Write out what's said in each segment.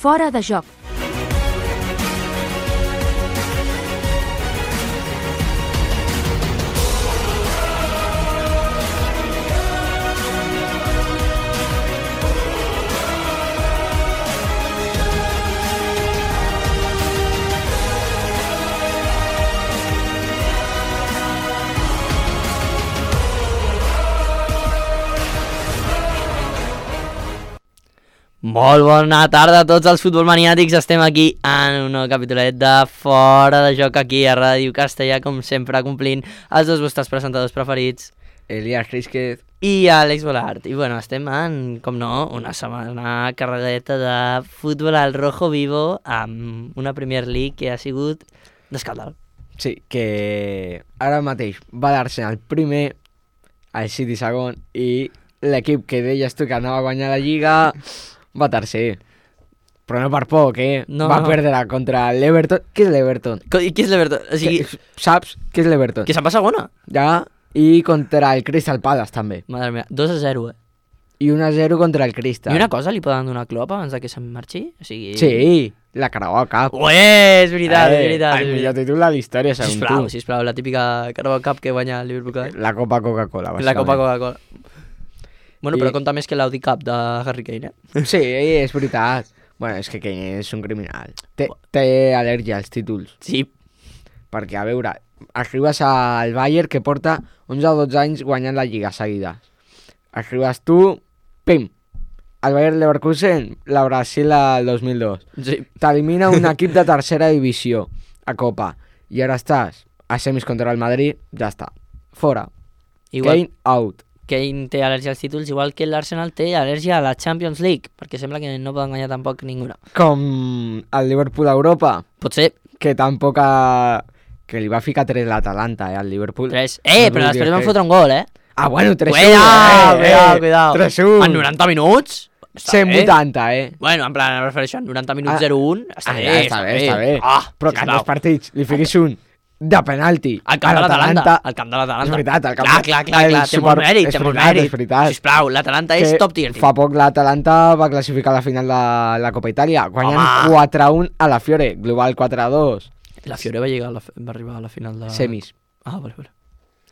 Fora de joc. Molt bona tarda a tots els futbolmaniàtics. Estem aquí en un nou capítolet de Fora de Joc aquí a Ràdio Castellà, com sempre complint els dos vostres presentadors preferits, Elias Rizquez i Àlex Bolart. I bueno, estem en, com no, una setmana carregadeta de futbol al rojo vivo amb una Premier League que ha sigut d'escàndol. Sí, que ara mateix va l'Arsenal primer, el City segon, i l'equip que deies tu que anava a guanyar la Lliga va tercer. Però no per poc, No, va no. perdre contra l'Everton. Què és l'Everton? I qui és l'Everton? O sigui, Saps què és l'Everton? que se'n va segona. Ja, i contra el Crystal Palace també. Madre mia, 2-0, I 1-0 contra el Crystal. I una cosa, li poden donar a Klopp abans de que se'n marxi? O sigui... Sí, la Carabao Cup. Ué, és veritat, és veritat. El millor títol de la història, segons tu. Sisplau, la típica Carabao Cup que guanya el Liverpool cada any. La Copa Coca-Cola, La Copa bàsicament. Coca-Cola. Bueno, però compta més que l'Audi Cup de Harry Kane, Sí, és veritat. Bueno, és que Kane és un criminal. Té al·lèrgia als títols. Sí, Perquè, a veure, arribes al Bayern que porta 11 o 12 anys guanyant la Lliga seguida. Arribes tu, pim, el Bayern Leverkusen, la Brasil al 2002. sí. T'elimina un equip de tercera divisió a Copa. I ara estàs a semis contra el Madrid, ja està. Fora. Igual Kane out. Kane té al·lèrgia als títols, igual que l'Arsenal té al·lèrgia a la Champions League, perquè sembla que no poden guanyar tampoc ninguna. Com el Liverpool a Europa, Pot ser que tampoc que li va ficar 3 l'Atalanta, al Liverpool. 3. No Però després vulguis van que- fotre un gol, Ah, bueno, 3-1. Cuidao. 3-1. En 90 minuts? Està bé. 180, Bueno, en plan, em refereixo a 90 minuts 0-1. Està bé, està bé. Ah, Però que en sisplau. dos partits li fiquis un de penalti. Al camp de l'Atalanta. Al camp de l'Atalanta. És veritat, al camp Clar, el té molt mèrit, és té molt veritat, mèrit. és veritat. Sisplau, l'Atalanta és top tier. Fa poc l'Atalanta va classificar a la final de la Copa Itàlia, guanyant Home. 4-1 a la Fiore, global 4-2. La Fiore va arribar a la final de... Semis. Ah, vale.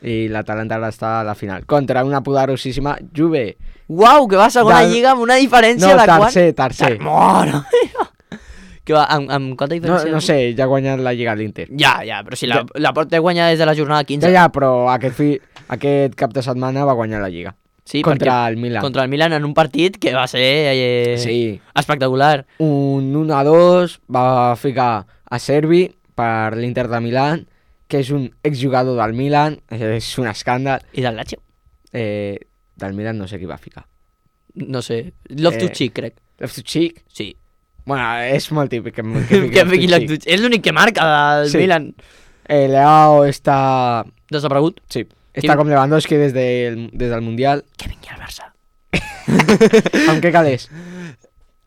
I l'Atalanta ara està a la final. Contra una poderosíssima Juve. Uau, que va a segona lliga amb una diferència No, de tercer. Mare meva. Que va, amb quanta diferència? No sé, ja ha guanyat la Lliga l'Inter. Ja, però si la porta guanya des de la jornada 15. Ja, però aquest cap de setmana va guanyar la Lliga. Sí, Contra perquè- el Milan. Contra el Milan en un partit que va ser Sí. espectacular. Un 1-2 va ficar a Servi per l'Inter de Milán, que és un exjugador del Milan, és un escàndal. I del Lazio? Del Milan no sé qui va ficar. No sé. Loftus-Cheek, crec. Loftus-Cheek? Sí. Bueno, és molt típic que Que fiqui Loftus-Cheek. És l'únic que marca del Sí. Milan. Leao està... Desaparegut. Sí, està com Lewandowski des del Mundial. Que vingui al Barça. Amb què calés?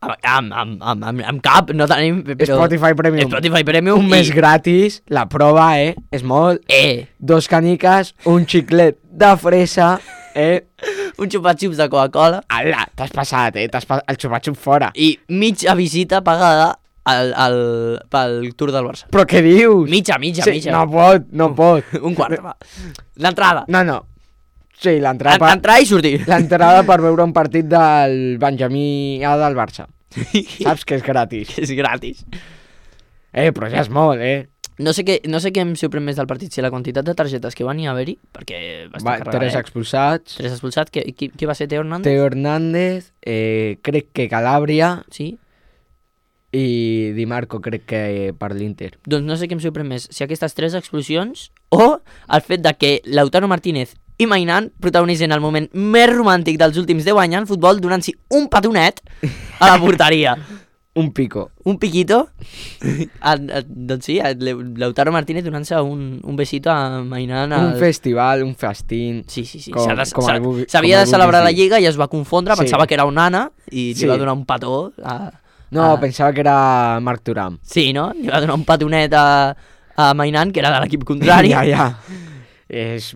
Amb cap, no tenim... Però... Spotify Premium. Spotify Premium. Un mes gratis, la prova, és molt. 2 caniques, un xiclet de fresa, Un xupa-xups de Coca-Cola. Ala, t'has passat, el xupa-xup fora. I mitja visita pagada pel Tour del Barça. Però què dius? Mitja. Sí, no pot. Un quart, va. L'entrada. No. Sí, l'entrada Entrar i sortir. L'entrada per veure un partit del Benjamí A del Barça. Saps que és gratis. És gratis. Però ja és molt, No sé què em sorprèn més del partit, si la quantitat de targetes que van hi haver-hi, perquè va estar carregat. 3 expulsats. 3 expulsats. Qui va ser Teo Hernández? Teo Hernández, crec que Calabria Sí. i Di Marco crec que per l'Inter. Doncs no sé què em sorprèn més, si aquestes 3 explosions o el fet de que Lautaro Martínez i Mainan protagonitzen el moment més romàntic dels últims 10 anys en futbol donant-s'hi un petonet a la porteria. Un pico. Un piquito. Doncs sí, Lautaro Martínez donant-se un besito a Mainan. Un festival, un festín. Sí. S'havia S'havia de celebrar la Lliga i es va confondre, Sí. pensava que era un nana i Sí. li va donar un petó. Pensava que era Marc Thuram. Sí, no? Li va donar un petonet a Mainan, que era de l'equip contrari. Ja. És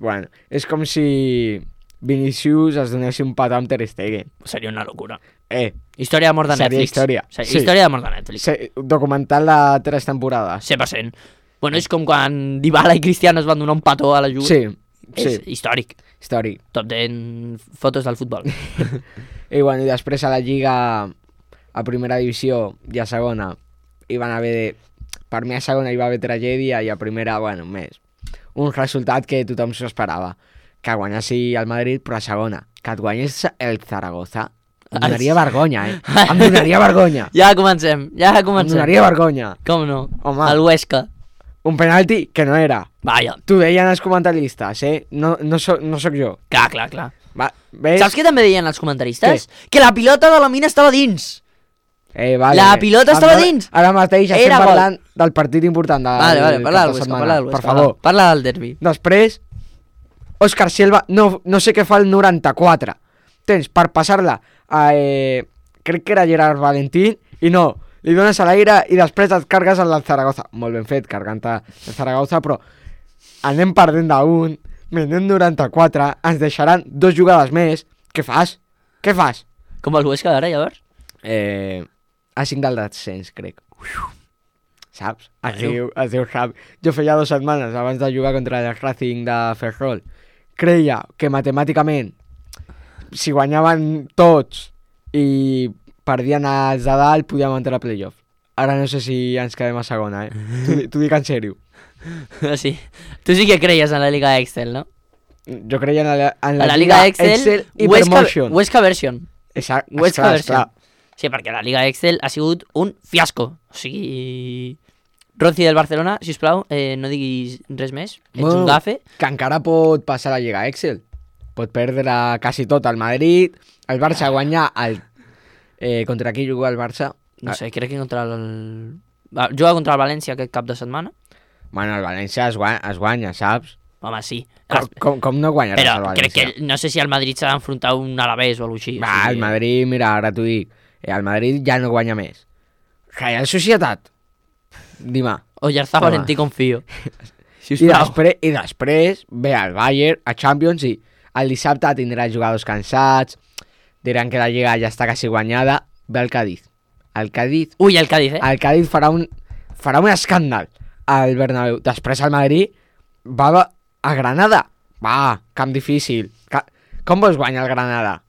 com si Vinícius es donés un petó amb Ter Stegen. Seria una locura. Seria Història d'amor de Netflix. Sí. Història d'amor de Netflix. Documental de 3 temporades. 100%. Bueno, és com quan Dybala i Cristiano es van donar un petó a la Juve. Sí. És històric. Històric. Top 10 fotos del futbol. I bueno, i després a la Lliga, a primera divisió i a segona, hi van haver de... Per mi a segona hi va haver tragèdia i a primera, bueno, més. Un resultat que tothom s'ho esperava. Que guanyassi el Madrid, però a segona. Que et guanyés el Zaragoza. Em donaria vergonya, Em donaria vergonya. Ja comencem. Em donaria vergonya. Com no? Home. El Huesca. Un penalti que no era. Vaja. T'ho deien els comentaristes, No soc jo. Clar. Va, ves? Saps què també deien els comentaristes? Que la pilota de la mina estava dins. Vale. La pilota estava dins. Ara mateix estem parlant del partit important Vale, parla del Huesca, per favor. Parla del derbi. Després, Òscar Silva, no sé què fa el 94. Tens per passar-la a... crec que era Gerard Valentín, i no, li dones a l'aire i després et cargues al Zaragoza. Molt ben fet, cargant-te el Zaragoza, però anem perdent d'un, minut 94, ens deixaran 2 jugades més. Què fas? Com el Huesca d'ara, llavors? A 5 del descens, crec. Saps? Es diu Javi. Jo feia 2 setmanes abans de jugar contra el Racing de Ferrol. Creia que matemàticament, si guanyaven tots i perdien els de dalt, podíem entrar a playoff. Ara no sé si ens quedem a segona, T'ho dic en sèrio. Sí. Tu sí que creies en la Liga Excel, no? Jo creia en la Liga Excel i Promotion. Huesca Version. Exacte, Huesca Version. esclar. Sí, perquè la Liga Excel ha sigut un fiasco. O sigui... Ronci del Barcelona, sisplau, no diguis res més. Ets un gafe. Que encara pot passar a la Lliga Excel. Pot perdre quasi tot el Madrid. El Barça guanyar el... contra qui juga el Barça? No sé, crec que contra el... Juga contra el València aquest cap de setmana. Bueno, el València es guanya, saps? Home, sí. Com no guanyaràs Però el València? crec que no sé si el Madrid s'ha d'enfrontar un Alavés o alguna cosa així. Va, el Madrid, mira, ara t'ho dic. El Madrid ja no guanya més. Real Societat. Dima. Oyarzabal, en ti confio. I després ve el Bayern a Champions i el dissabte tindrà jugadors cansats, diran que la Lliga ja està quasi guanyada, ve el Cádiz. El Cádiz... Ui, el Cádiz, El Cádiz farà un escàndal al Bernabéu. Després el Madrid va a Granada. Va, camp difícil. Com vols guanyar el Granada?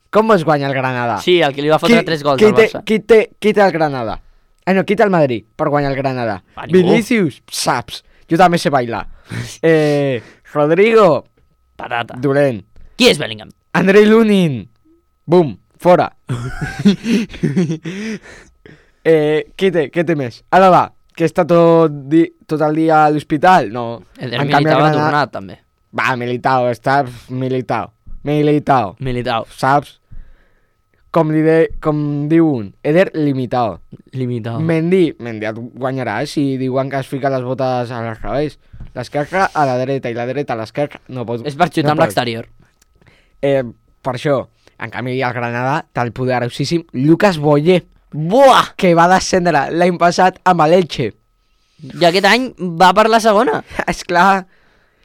Sí, el que li va fotre 3 gols al Barça. Qui té el Granada? No, qui té el Madrid per guanyar el Granada? Vinícius, saps? Jo també sé bailar. Rodrigo, patata. dolent. Qui és Bellingham? Andrei Lunin, bum, fora. Què té més? Ara va, que està tot el dia a l'hospital? No. Eder Militao ha tornat, també. Va, Militao, està Militao. Saps? Com diu un, Eder limitado. Mendy et guanyarà si diuen que es fica les botes a revés. L'esquerra a la dreta i la dreta a l'esquerra no pot. És per xutar amb l'exterior. Per això, en canvi el Granada té el poderosíssim Lucas Boyer. Buah! Que va descendre l'any passat amb l'Elche. I aquest any va per la segona. Esclar.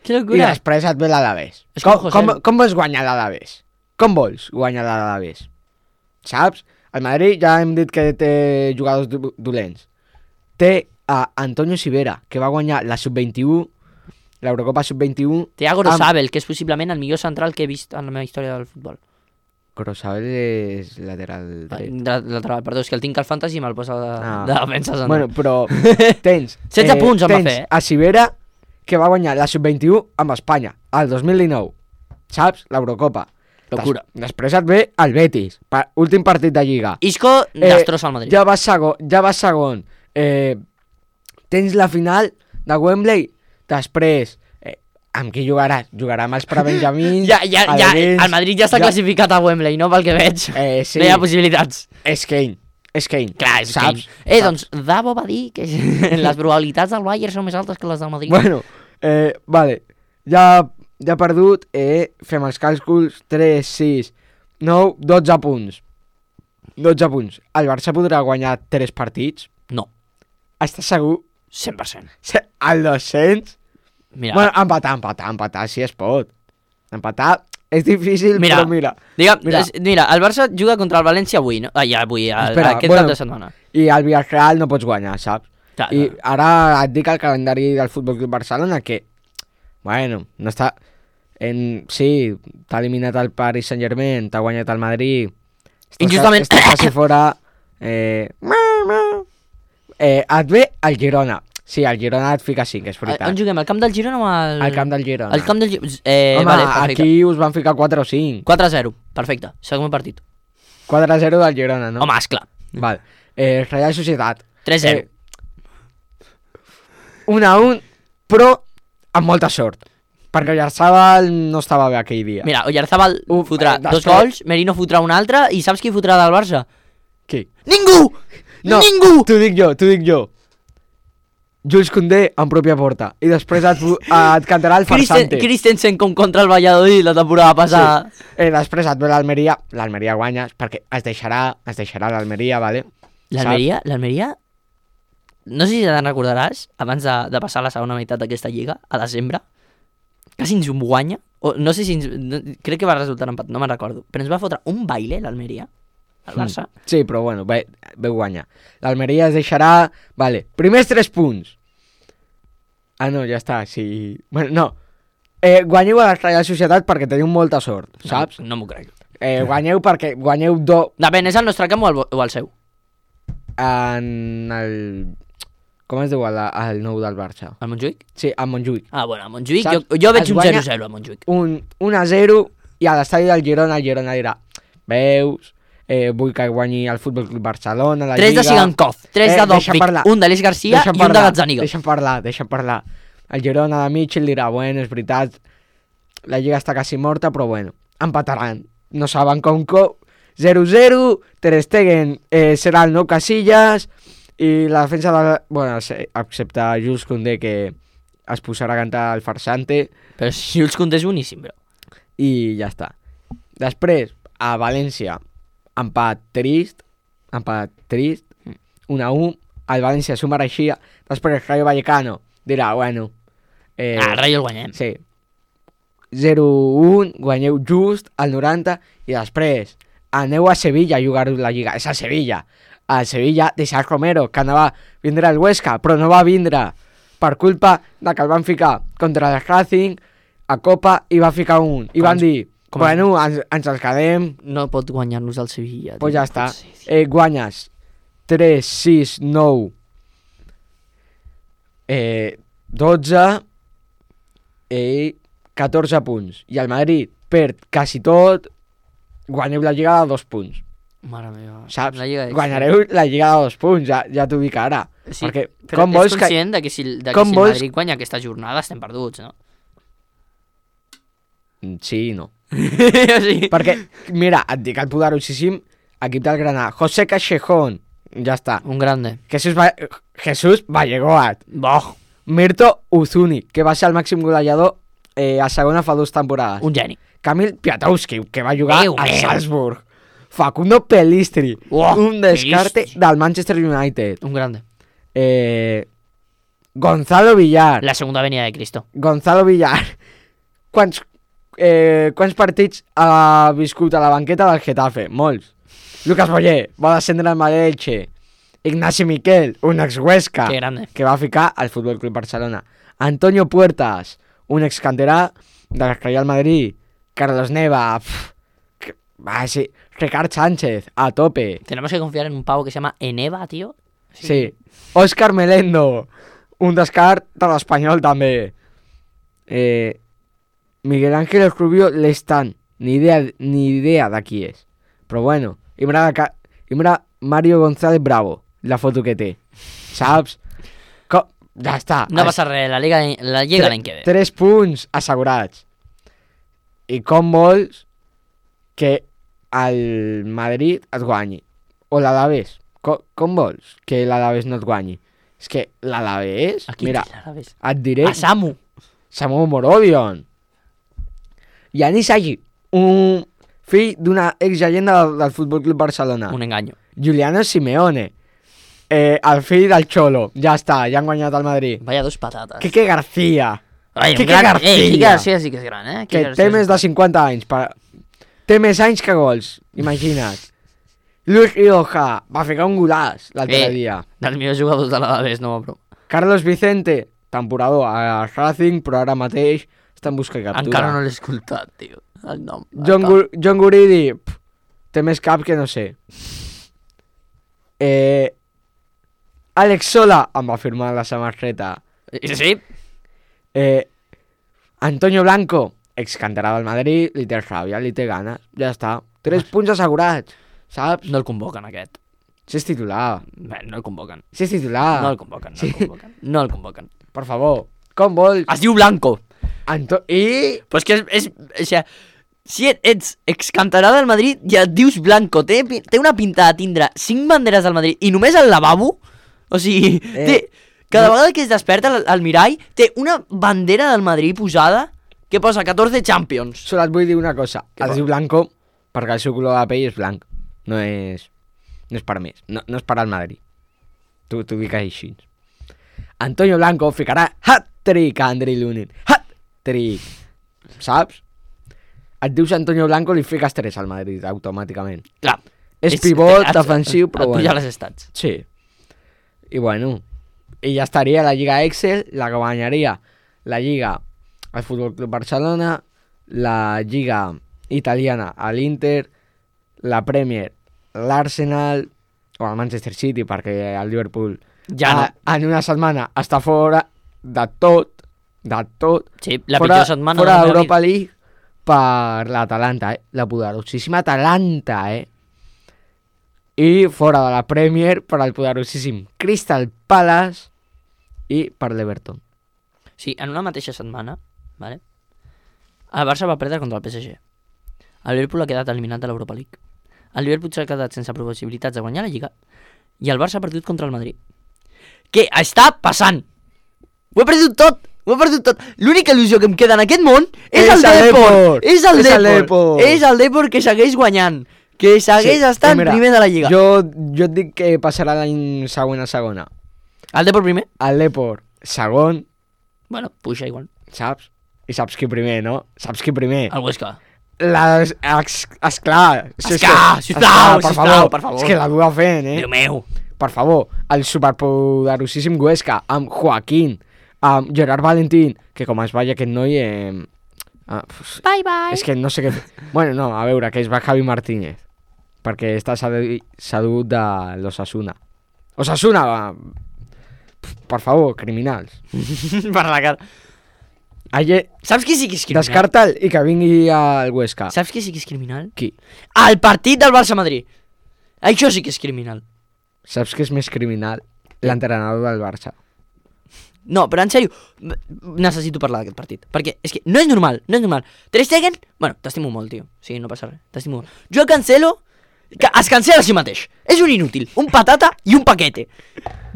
Que I locura. després et ve l'Alavés. Com vols guanyar l'Alavés? Com vols guanyar l'Alavés? Saps? El Madrid ja hem dit que té jugadors dolents. Té a Antonio Sivera, que va guanyar la Sub-21, l'Eurocopa Sub-21. Té a Gorosabel, que és possiblement el millor central que he vist en la meva història del futbol. Gorosabel és lateral dret. Lateral, perdó, és que el tinc al fantasy i me'l posa de defensa central. Bueno, però tens... 16 punts em va fer. A Sivera, que va guanyar la Sub-21 amb Espanya, el 2019. Saps? L'Eurocopa. Locura. Després et ve el Betis, últim partit de Lliga. Isco destrossa el Madrid. Ja va segon. Tens la final de Wembley. Després, amb qui jugaràs? Jugarà amb els prebenjamins. El Madrid ja està classificat a Wembley, no? Pel que veig. Sí. No hi ha possibilitats. És Kane. Clar, és saps? Kane. Doncs Davo va dir que les probabilitats del Bayern són més altes que les del Madrid. Bueno, vale. Ja perdut, fem els càlculs, 3, 6, 9, 12 punts. 12 punts. El Barça podrà guanyar 3 partits? No. Estàs segur? 100%. El 200? Mira. Bueno, empatar, si es pot. Empatar, És difícil, Mira, però mira. Mira, el Barça juga contra el València avui, no? Espera, aquest cap de setmana. I al Villarreal no pots guanyar, saps? Clar, I ara et dic el calendari del Futbol Club Barcelona que, bueno, no està... Sí, t'ha eliminat el Paris Saint-Germain, t'ha guanyat el Madrid... Injustament. Estàs quasi fora... Et ve el Girona. Sí, el Girona et fica 5, és veritat. On juguem? Al camp del Girona o al... Al camp del Girona. Al camp del Girona. Home, Vale, perfecte. aquí us van ficar 4 o 5. 4-0, perfecte. Segon partit. 4-0 del Girona, no? Home, esclar. Val. Real Societat. 3-0. 1-1, però amb molta sort. Perquè Oyarzabal no estava bé aquell dia. Mira, Oyarzabal fotrà dos gols, Merino fotrà un altre, i saps qui fotrà del Barça? Qui? Ningú! No, Ningú! t'ho dic jo. Jules Koundé en pròpia porta. I després et cantarà el farsante. Christensen com contra el Valladolid la temporada passada. Sí. Després et ve l'Almeria. L'Almeria guanyes perquè es deixarà l'Almeria, vale? L'Almeria... No sé si te'n recordaràs, abans de passar la segona meitat d'aquesta lliga, a desembre, quasi ens guanya, o no sé si crec que va resultar empat, no me'n recordo, però ens va fotre un baile l'Almeria, al Barça. Sí, però bueno, veu guanyar. L'Almeria es deixarà... Vale, primers 3 punts. Ah, no, ja està, sí... Bueno, no. Guanyeu a la Real Societat perquè teniu molta sort, saps? No m'ho crec. Guanyeu perquè guanyeu Depèn, és el nostre camp o el seu? En el... Com es diu el nou del Barça? El Montjuïc? Sí, el Montjuïc. Ah, bueno, el Montjuïc, jo veig un 0-0 al Montjuïc. Un 1-0 i a l'estadi del Girona, el Girona dirà, veus, vull que guanyi el Futbol Club Barcelona, la 3 Lliga... de Sigankov, 3 de Dovvik, un d'Aleix Garcia i un de Gazzaniga. Deixa'm parlar. El Girona de Mitchell dirà, bueno, és veritat, la Lliga està quasi morta, però bueno, empataran. No saben com 0-0, Ter Stegen serà el nou Casillas... I la defensa de... Bueno, excepte Jules Koundé, que es posarà a cantar el farsante. Però Jules Koundé és boníssim, bro. I ja està. Després, a València, empat trist. 1-1. El València s'ho mereixia. Després el Rayo Vallecano dirà, bueno... el Rayo el guanyem. Sí. 0-1, guanyeu just al 90. I després, aneu a Sevilla a jugar la Lliga. És a Sevilla. Al Sevilla de Sergio Romero, que anava a vindre al Huesca, però no va vindre per culpa de que el van ficar contra el Racing a Copa i va ficar un. I van dir, bueno, ens el quedem. No pot guanyar-nos el Sevilla. Pues ja està. Guanyes 3, 6, 9, 12 i 14 punts. I el Madrid perd quasi tot, guanyeu la Lliga de 2 punts. Mare meva. Saps? Guanyareu la Lliga de 2 punts, ja t'ho dic ara. Sí, perquè però com ets conscient que si el Madrid guanya aquesta jornada estem perduts, no? Sí i no. Sí. Perquè, mira, et dic el poderosíssim equip del Granada. José Cachejón, ja està. Un grande. Jesús Vallegoat. Boh. Mirto Uzuni, que va ser el màxim golejador a segona fa 2 temporades. Un geni. Camil Piatowski, que va jugar al Salzburg. Facundo Pelistri, un descarte del Manchester United. Un grande. Gonzalo Villar. La segunda venida de Cristo. Gonzalo Villar. Quants partits ha viscut a la banqueta del Getafe? Molts. Lucas Boyer va descendre al Elche. Ignasi Miquel, un ex-Huesca, que va ficar al Futbol Club Barcelona. Antonio Puertas, un ex-canterà del Real Madrid. Carlos Neva, sí. Ricard Sánchez, a tope. Tenemos que confiar en un pavo que se llama Eneva, tío. Sí. Óscar Melendo, un descart de l'Espanyol també. Miguel Ángel Rubio Lestan, ni idea de qui és. Però bueno, i mira Mario González Bravo, la foto que té. Saps? Ja està. No passa res, la Lliga l'any que ve. 3 punts assegurats. I com vols que el Madrid et guanyi? O l'Alavés? Com vols que l'Alavés no et guanyi? És que l'Alavés... Mira, et diré... A Samu Morodion. Yanis Agi, un fill d'una ex-llegenda del Futbol Club Barcelona. Un enganyo. Juliano Simeone, el fill del Cholo. Ja està, ja han guanyat el Madrid. Vaya dos patates. Quique García, Ai, Quique Quique García. García sí que és gran, Que Quique té García més de 50 anys. Té més anys que gols, imagina't. Luis Rioja va ficar un golaç l'altre dia. Dels millors jugadors de l'Alavés, no, bro. Carlos Vicente, temporador a Racing, però ara mateix està en busca i captura. Encara no l'he escoltat, tio, el nom. John Guridi, té més cap que no sé. Alex Sola em va firmar la samarreta. Sí? Antonio Blanco, excanterà del Madrid, li té ràbia, li té ganes, ja està. 3 punts assegurats, saps? No el convoquen, aquest. Si és titular. Bé, no el convoquen. Si és titular. No el convoquen, no el convoquen. No el convoquen. Per favor, com vols? Es diu Blanco. Però és que o sigui, si ets excanterà del Madrid, ja et dius Blanco. Té una pinta de tindre 5 banderes del Madrid i només al lavabo, o sigui, cada vegada que es desperta al mirall, té una bandera del Madrid posada que posa 14 Champions. Solo et vull dir una cosa. Què Es vol? diu Blanco perquè el seu color de pell és blanc. No és per més. No és per al Madrid. T'ho dic així. Antonio Blanco ficarà hat-trick a Andrei Lunin. Hat-trick. Saps? Et dius Antonio Blanco, li fiques 3 al Madrid automàticament. Clar. És pivot defensiu, però et puja bueno. les estats. Sí. I bueno, i ja estaria la Lliga Excel, la que guanyaria la Lliga al Futbol Club Barcelona, la Lliga Italiana a l'Inter, la Premier l'Arsenal o el Manchester City, perquè el Liverpool Ja no. en una setmana està fora de tot, Sí, la fora, pitjor setmana fora de la meva d'Europa vida. League per l'Atalanta, la poderosíssima Atalanta, i fora de la Premier per al poderosíssim Crystal Palace i per l'Everton. Sí, en una mateixa setmana, vale? El Barça va perdre contra el PSG. El Liverpool ha quedat eliminat de l'Europa League. El Liverpool s'ha quedat sense possibilitats de guanyar la Lliga i el Barça ha perdut contra el Madrid. Què està passant? Ho he perdut tot! L'única il·lusió que em queda en aquest món és el Depor! És el Depor! És el Depor que segueix guanyant, que segueix estant mira, primer de la Lliga. Jo et dic que passarà l'any següent a segona. El Depor primer? El Depor segon, Bueno, puja igual. saps? I saps qui primer, no? Saps qui primer? El Huesca. Esclar, Sisplau, per favor. És que la duda fent, Déu meu. Per favor, el superpoderosíssim Huesca amb Joaquín, amb Gerard Valentín, que com es vaya aquest noi... Bye, bye. És que no sé què... Bueno, no, a veure, que es va Javi Martínez, perquè està sedut de l'Osasuna. Osasuna, per favor, criminals. Per la cara. Saps qui sí que és criminal? Descarta'l i que vingui al Huesca. Saps qui sí que és criminal? Qui? El partit del Barça-Madrid. Això sí que és criminal. Saps què és més criminal? L'entrenador del Barça. No, però en sèrio, necessito parlar d'aquest partit. Perquè és que no és normal. Ter Stegen, bueno, t'estimo molt, tio. Sí, no passa res, t'estimo molt. Joao Cancelo, que es cancela a si mateix. És un inútil, un patata i un paquete.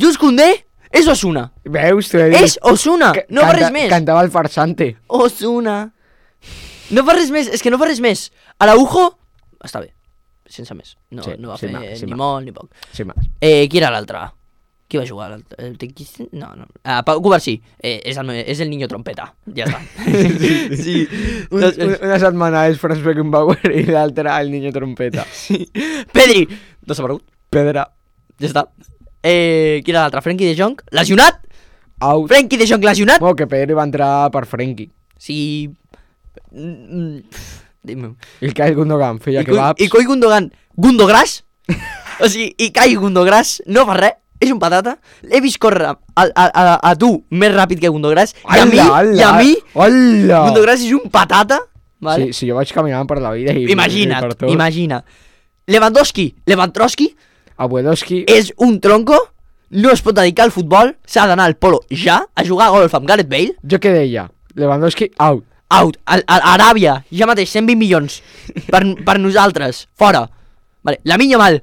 Jules Koundé és Osuna. Veus? T'ho he dit. És Osuna, no fa res més. Cantava el farsante. Osuna. No fa res més, és que no fa res més. Araujo, està bé, sense més. No, Sí, no va sí, fer sí, ni molt ni poc. Sí, mas. Qui era l'altre? Qui va jugar? No. Pau Covarsí. És el niño trompeta. Ja està. Sí. Una setmana és Franz Beckenbauer i l'altra el niño trompeta. Sí. Pedri. Desaparegut. Pedra. Ja està. Qui era l'altre? Frenkie de Jong. Lesionat. Out. Frenkie de Jong lesionat. Bueno, que Pedri va entrar per Frenkie. Sí. I el Kyle Gundogan feia kebabs. I Coi Gundogan. Gundogras. O sigui, i Kai Gundogras no fa res. És un patata. L'he vist córrer a tu més ràpid que Gundogras. I a mi Gundogras és un patata. Vale? Sí, jo vaig caminant per la vida i Imagina't, per tot. imagina. Lewandowski Abuelowski és un tronco, no es pot dedicar al futbol, s'ha d'anar al polo ja, a jugar a golf amb Gareth Bale. Jo què deia? Lewandowski out. Out, a Aràbia, ja mateix, 120 milions per nosaltres, fora. Vale, Lamine Yamal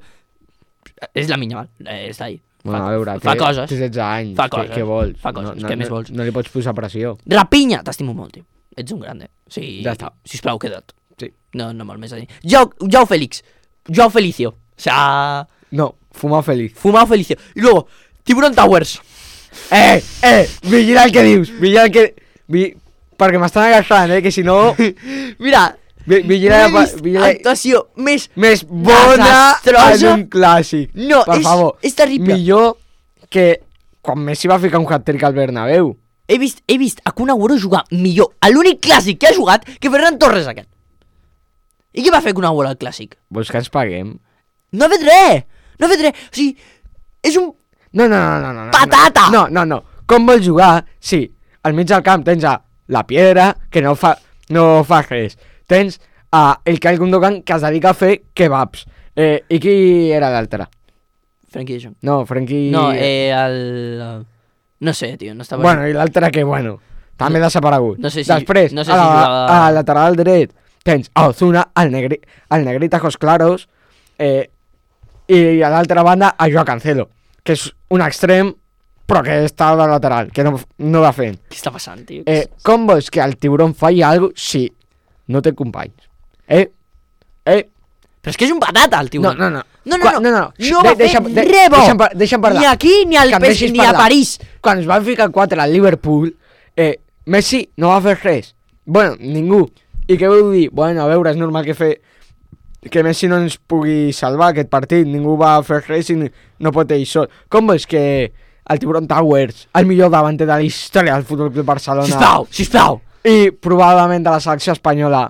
és Lamine Yamal, està ahí. Bueno, a veure, fa coses. Té 16 anys. Fa coses. Què vols? Fa coses, què més vols? No li pots posar pressió. Rapinya, t'estimo molt, tio. Ets un grande. Sí, Ja està. Sisplau, queda't. Sí. No molt més a dir. Joao Félix. Joao Felicio. O sea, No, fumar feliz. Fumao Felicio. Y luego, Tiburon Towers. Vigila el que dius. Vigila el que... perquè m'estan agafant, que si no... Mira, Vigila, no he vist actuació més bona desastrosa. en un clàssic. No, per favor, és terrible. Millor que quan Messi va ficar un hat-trick al Bernabéu. He vist a Kun Agüero jugar millor a l'únic clàssic que ha jugat que Ferran Torres aquest. I què va fer Kun Agüero al clàssic? Vols que ens paguem? No ha fet res! No ha fet res! O sigui, és un... No. Patata! No. Com vols jugar? Sí, al mig del camp tens a la Piedra, que no fa res. Tens a el Kyle Gundogan, que es dedica a fer kebabs. I qui era l'altre? Frenkie de Jong. No, Frenkie... No, el... No sé, tio, no estava... Bueno, i l'altre que, també No- desaparegut. no sé si- Després, no sé si jugava- a lateral dret, tens a Ozuna, el negrita Ojos Claros, i a l'altra banda a Joao Cancelo, que és un extrem, però que està de lateral, que no va fent. Què està passant, tio? Com vols que el tiburón falli alguna cosa si no té companys? Però és que és un patata, el tio. No. No va fer Deixa'm res bo. deixa'm parlar. Ni aquí, ni al Que em PES, deixis ni a parlar. París. Quan es van ficar 4 al Liverpool, Messi no va fer res. Bueno, ningú. I què vull dir? Bueno, a veure, és normal que Messi no ens pugui salvar aquest partit. Ningú va fer res i no pot ell sol. Com vols que el Tiburon Towers, el millor davanter de la història del Futbol Club Barcelona, Sisplau. i probablement de la selecció espanyola,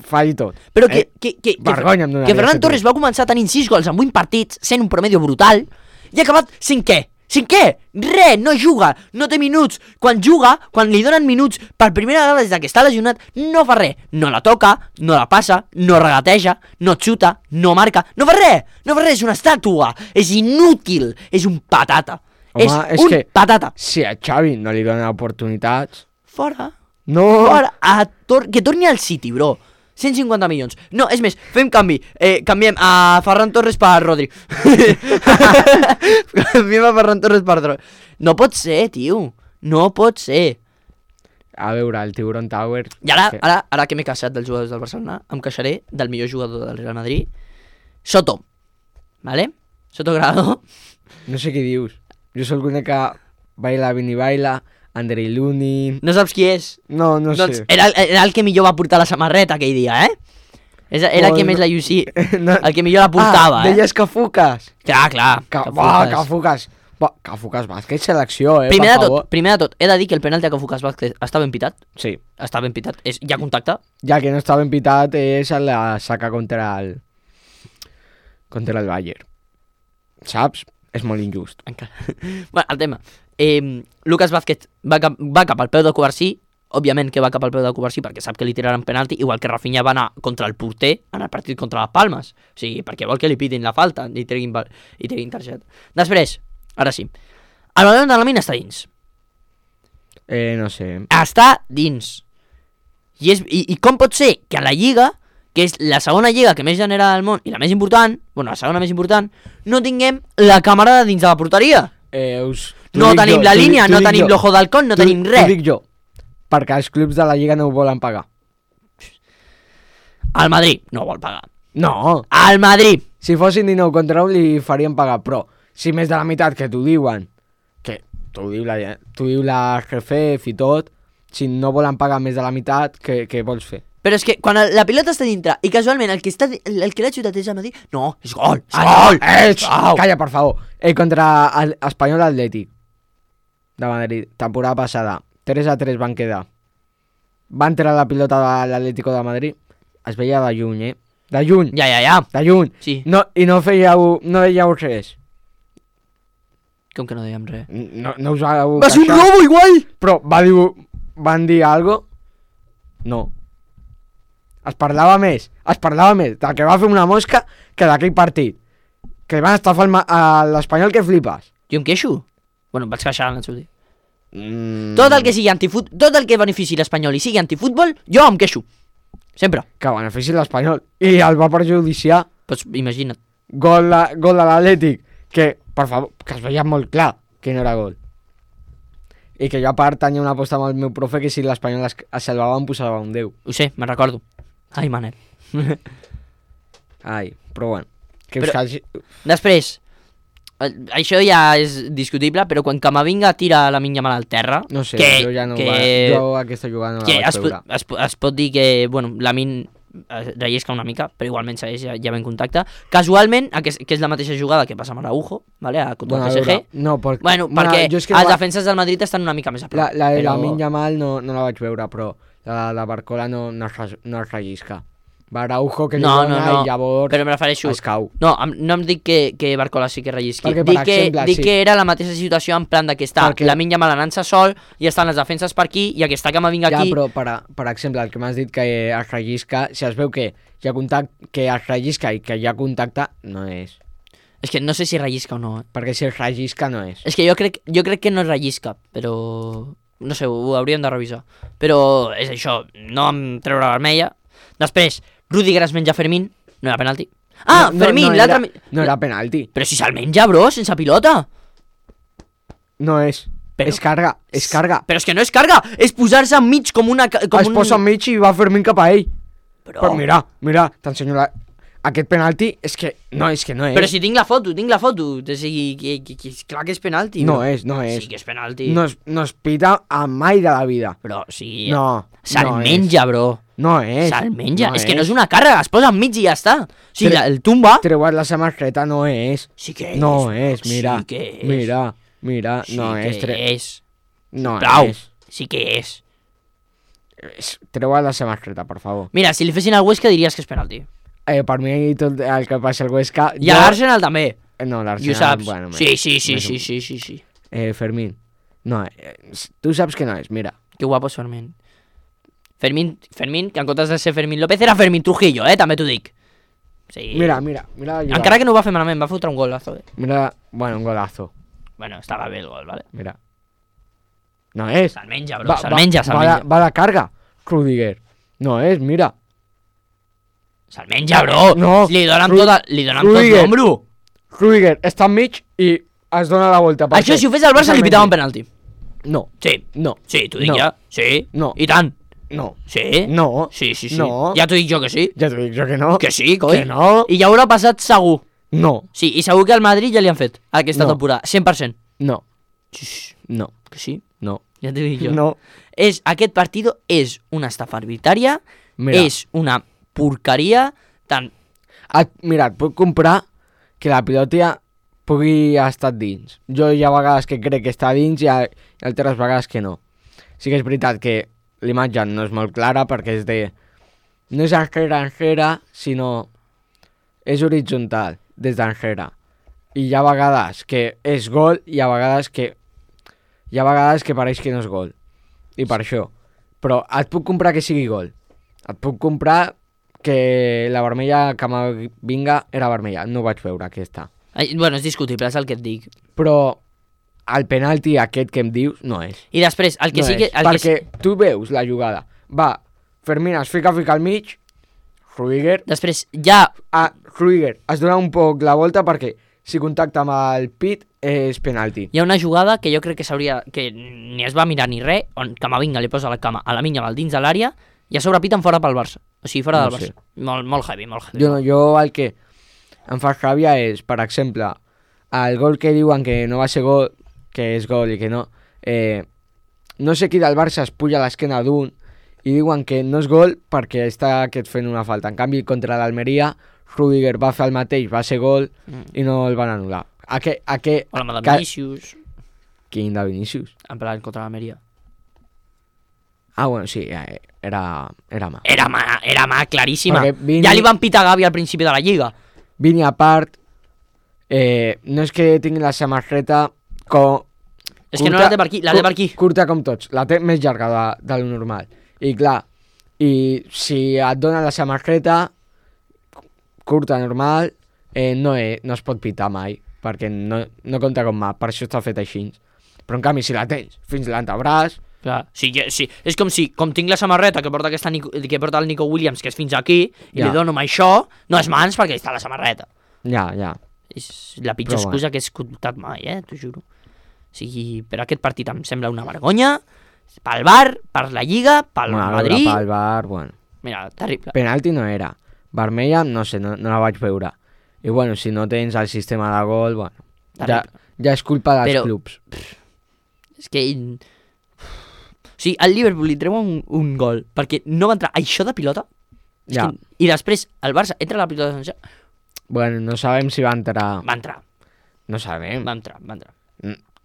falli tot? Però que Vergonya em donaria que Ferran ser tu. Torres va començar tenint 6 gols en 8 partits, sent un promedio brutal, i ha acabat cinquè. Res, no juga, no té minuts. Quan juga, quan li donen minuts per primera vegada des que està lesionat, no fa res. No la toca, no la passa, no regateja, no xuta, no marca, no fa res, és una estàtua, és inútil, és un patata. Home, és un que- patata. Si a Xavi no li donen oportunitats... Fora. No! Fora, que torni al City, bro. 150 milions. No, és més, fem canvi. Canviem a Ferran Torres per Rodri. Canviem a Ferran Torres per Rodri. No pot ser, tio. No pot ser. A veure, el Tiburon Tower... I ara que m'he queixat dels jugadors del Barcelona, em queixaré del millor jugador del Real Madrid, Soto. ¿Vale? Soto Grado. No sé què dius. Jo sóc l'únic que baila Vini Baila, Andrei Lunin... No saps qui és? No Doncs sé. era el que millor va portar la samarreta aquell dia, Era el que més la llucia. No. El que millor la portava, deies Cafucas. Clar. Cafucas. Cafucas Vázquez, selecció, Primer per de tot, he de dir que el penalti a Cafucas Vázquez està ben pitat. Sí. Està ben pitat. Hi ha contacte. Ja que no està ben pitat és la saca contra el Bayern. Saps? És molt injust. Encara. Bueno, el tema. Lucas Vázquez va cap al peu de Covarsí. Òbviament que va cap al peu de Covarsí perquè sap que li tiraran penalti, igual que Rafinha va anar contra el porter en el partit contra les Palmes. O sigui, perquè vol que li pitin la falta i treguin targeta. Després, ara sí, el Valladolid de la Mina està dins. No sé. Està dins. I com pot ser que a la Lliga, que és la segona lliga que més genera del món i la més important, la segona més important, no tinguem la càmera dins de la porteria? No tenim la línia, no tenim l'ojo d'halcón, no tenim res. T'ho dic jo, perquè els clubs de la Lliga no ho volen pagar. El Madrid no vol pagar. No, El Madrid. si fossin 19 contra 1 li farien pagar, però si més de la meitat que t'ho diuen, que t'ho diu la GFF i tot, si no volen pagar més de la meitat, què vols fer? Però és que quan la pilota està dintre i casualment el que l'ha xutat és el Madrid, no, és gol. Calla, per favor. Contra l'Espanyol Atlètic de Madrid, temporada passada, 3-3 van quedar. Va entrar la pilota de l'Atlético de Madrid, es veia de lluny, de lluny. Ja. De lluny. Sí. No, i no veieu res. Com que no dèiem res? No us vau Va ser un queixar? robo igual! Però van dir algo? No. Es parlava més del que va fer una mosca que d'aquell partit. Que van estafar l'Espanyol que flipes. Jo em queixo? Bueno, em vaig queixar en el seu dia. Tot el que sigui tot el que benefici l'Espanyol i sigui antifutbol, jo em queixo. Sempre. Que benefici l'Espanyol. I el va perjudiciar. Pues imagina't. Gol de l'Atlètic. Que, per favor, que es veia molt clar que no era gol. I que jo a part tenia una aposta amb el meu profe que si l'Espanyol es salvava em posava un 10. Ho sé, me'n recordo. Ai, Manel. Ai, però bueno. Que Però- us calci... Després, Això ja és discutible, però quan Camavinga tira la Yamal al terra... No sé, que, jo ja no jo aquesta jugada no que la vaig veure. es pot dir que, bueno, Lamine rellisca una mica, però igualment segueix ja en contacte. Casualment, que és la mateixa jugada que passa amb Araujo, vale, contra el PSG. No, perquè, perquè els defenses del Madrid estan una mica més a prop. La de Lamine Yamal no la vaig veure, però la de Barcola no es rellisca. Va Araujo que li dona i llavors però me refereixo, es cau. No em dic que Barcola sí que rellisqui. Perquè, dic que era la mateixa situació en plan que està Lamine Yamal anant-se sol i estan les defenses per aquí i aquesta Camavinga aquí. Ja, però per exemple, el que m'has dit que es rellisca, si es veu que hi ha contacte, que es rellisca i que hi ha contacte, no és. És que no sé si rellisca o no. Perquè si es rellisca no és. És que jo crec que no es rellisca, però... No sé, ho hauríem de revisar. Però és això, no em treure la vermella. Després, Rüdiger es menja Fermín, no era penalti. Fermín, l'altre... No era penalti. Però si se'l menja, bro, sense pilota. No és. És carga. Però és que no és carga, és posar-se enmig com una... Es posa enmig i va Fermín cap a ell. Però mira, t'ensenyo aquest penalti és que no és. Però si tinc la foto. O sigui, clar que és penalti. No és. Sí que és penalti. No es pita a mai de la vida. Però sí. No. Se'l menja, bro. No és. Se'l menja. És que no és una càrrega, es posa enmig i ja està. O sigui, el tumba... Treuat la samarreta, no és. Sí que és. No és, mira. Sí que és. Mira, no és. Sí que és. No és. Sí que és. Treuat la samarreta, per favor. Mira, si li fessin al Huesca diries que és penalti. Per mi tot el que passa al Huesca... I a l'Arsenal també. No, l'Arsenal... I ho saps. Bueno, Sí. Fermín. No, tu saps que no és, mira. Que guapo és Fermín. Fermín, que en comptes de ser Fermín López era Fermín Trujillo, també t'ho dic. Sí. Mira. Encara que no ho va fer malament, va fotre un golazo. Mira, bueno, un golazo. Bueno, estava bé el gol, vale? Mira. No és. Se'l menja, bro, se'l menja. Va de carga, Rüdiger. No és, mira. Se'l menja, bro. No. Li donen tot l'ombro. Rüdiger està enmig i es dona la volta. Això si ho fes al Barça li pitava un penalti. No. Sí. No. Sí, t'ho dic ja. Sí. No. I tant. No. Sí. No. Sí. No. Ja t'ho dic jo que sí. Ja t'ho dic jo que no. Que sí, coi. Que no. I ja haurà passat segur. No. Sí, i segur que al Madrid ja li han fet aquesta temporada. 100%. No. No. Que sí? No. Ja t'ho dic jo. No. Aquest partido és una estafa arbitrària, és una porqueria tant... Mira, et puc comprar que la pilota pugui estar dins. Jo hi ha vegades que crec que està dins i altres vegades que no. Sí que és veritat que l'imatge no és molt clara perquè és de... No és enrere, sinó... És horitzontal, des d'enrere. I hi ha vegades que és gol i hi ha vegades que... Hi ha vegades que pareix que no és gol. I per això. Però et puc comprar que sigui gol. Et puc comprar que la vermella Camavinga era vermella. No ho vaig veure, aquesta. Bueno, és discutible, és el que et dic. Però el penalti aquest que em dius no és. I després, el que no sí que... Perquè tu veus la jugada. Va, Fermín es fica al mig, Rüdiger... Després, ja... Rüdiger es dona un poc la volta perquè si contacta amb el pit és penalti. Hi ha una jugada que jo crec que s'hauria... que ni es va mirar ni res, on Camavinga li posa la cama a Lamine Yamal dins de l'àrea i a sobre piten fora pel Barça. O sigui, fora del Barça. Molt heavy. Jo el que em fa ràbia és, per exemple, el gol que diuen que no va ser gol, que és gol i que no... no sé qui del Barça es puja a l'esquena d'un i diuen que no és gol perquè està aquest fent una falta. En canvi, contra l'Almeria, Rüdiger va fer el mateix, va ser gol i no el van anul·lar. O la de Vinícius. Quin de Vinícius? En plan contra l'Almeria. Bueno, sí, era mà. Era mà, claríssima. Vini... Ja li van pitar Gavi al principi de la Lliga. Vini a part, no és que tingui la samarreta com... És que no la té per aquí, la té per aquí. Curta com tots, la té més llarga de lo normal. I clar, i si et dona la samarreta curta, normal, no es pot pitar mai, perquè no compta com mà, per això està fet així. Però en canvi, si la tens fins l'antebraç... Clar, sí, és com si, com tinc la samarreta que porta el Nico Williams, que és fins aquí, i li dono amb això, no és mans perquè està la samarreta. Ja. És la pitjor excusa que he escoltat mai, t'ho juro. O sigui, però aquest partit em sembla una vergonya, pel Bar, per la Lliga, pel Madrid... Pel Bar, bueno... Mira, terrible. Penalti no era. Vermella, no sé, no la vaig veure. I bueno, si no tens el sistema de gol, bueno... Ja és culpa dels Però- clubs. És que... O sigui, al Liverpool li treuen un gol perquè no va entrar això de pilota. És Ja. que... I després el Barça entra la pilota de Sancho. Bueno, no sabem si va entrar. Va entrar, No sabem. va entrar, va entrar.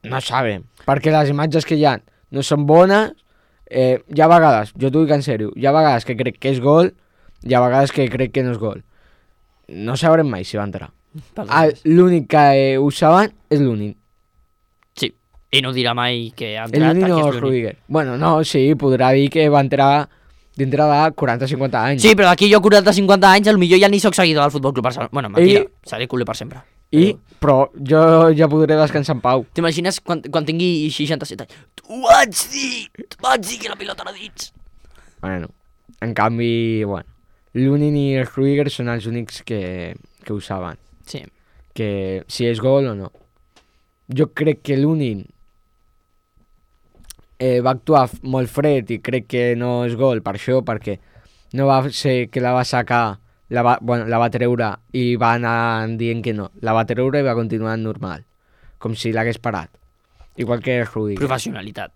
No sabem. Perquè les imatges que hi ha no són bones. Hi ha vegades, jo t'ho dic en sèrio, hi ha vegades que crec que és gol, hi ha vegades que crec que no és gol. No sabrem mai si va entrar. L'únic que ho saben és l'únic. Sí, i no dirà mai que ha El entrat l'únic perquè no és és l'únic. Rudiger. Bueno, no, sí, podrà dir que va entrar dintre de 40-50 anys. Sí, però d'aquí jo 40-50 anys potser ja ni sóc seguidor del Futbol Club Barcelona. Bueno, mentira, seré culer per sempre. Però jo ja podré descansar en pau. T'imagines quan tingui 67 anys? T'ho vaig dir que la pilota era dins. Bueno, en canvi, bueno, l'Unin i el Rudiger són els únics que ho saben. Sí. Que si és gol o no. Jo crec que l'Unin va actuar molt fred i crec que no és gol per això, perquè no va ser que la va sacar, la va treure i va anar dient que no. La va treure i va continuar normal, com si l'hagués parat. Igual que el Rudiger. Professionalitat.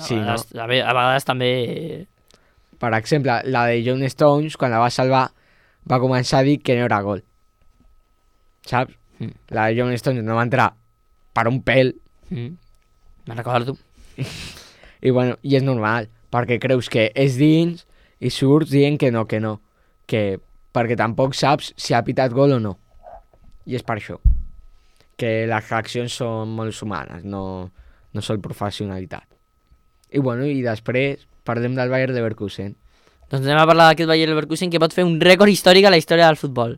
Sí, no? A vegades també... Per exemple, la de John Stones, quan la va salvar, va començar a dir que no era gol. Saps? La de John Stones no va entrar per un pèl. Me'n recordo. I bueno, i és normal, perquè creus que és dins i surts dient que no, perquè tampoc saps si ha pitat gol o no. I és per això. Que les reaccions són molt humanes, no són professionalitat. I bueno, i després parlem del Bayer Leverkusen. Doncs anem a parlar d'aquest Bayer Leverkusen que pot fer un rècord històric a la història del futbol.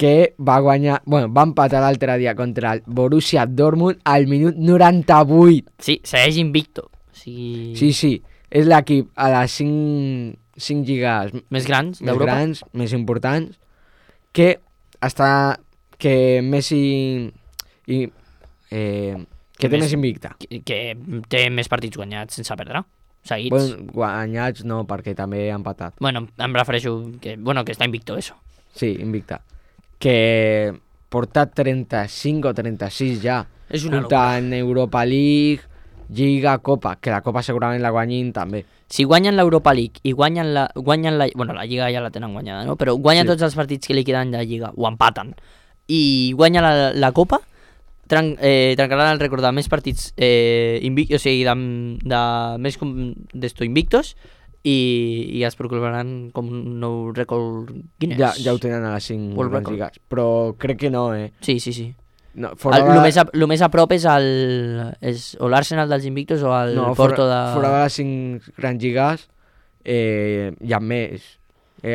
Que va guanyar, va empatar l'altre dia contra el Borussia Dortmund al minut 98. Sí, segueix invicto. O sigui... Sí, és l'equip a les 5 lligues més grans d'Europa. Més importants, que té més invicta. Que té més partits guanyats sense perdre, seguits. Bueno, guanyats no, perquè també ha empatat. Bueno, em refereixo que està invicto, eso. Sí, invicta. Que porta 35 o 36 ja. És una en Europa League, Lliga, Copa, que la Copa segurament la guanyin també. Si guanyen l'Europa League i guanyen la... Bueno, la Lliga ja la tenen guanyada, no? Però guanyen tots els partits que li queden de Lliga, o empaten, i guanyen la Copa, trencaran el rècord de més partits invictos, o sigui, de més invictos, i es proclamaran com un nou rècord Guinness. Ja ho tenen a les 5 World record. lligues, però crec que no, Sí. No, El més a prop és o l'Arsenal dels invictos o el Porto de... Fora de les 5 grans lligues hi ha més,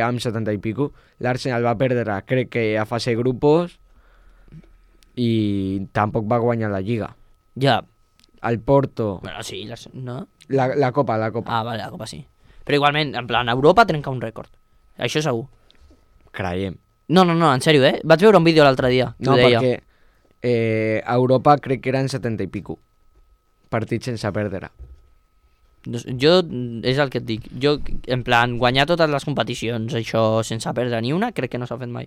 amb 70 i pico. L'Arsenal va perdre, crec que a fase de grupos, i tampoc va guanyar la Lliga. Ja. El Porto... Bueno, sí, no? La Copa. Ah, vale, la Copa sí. Però igualment, en plan, Europa trenca un rècord. Això segur. Creiem. No, en sèrio, Vaig veure un vídeo l'altre dia. No, perquè a Europa crec que eren 70 i pico partits sense perdre. Jo, és el que et dic, jo, en plan, guanyar totes les competicions, això sense perdre ni una, crec que no s'ha fet mai.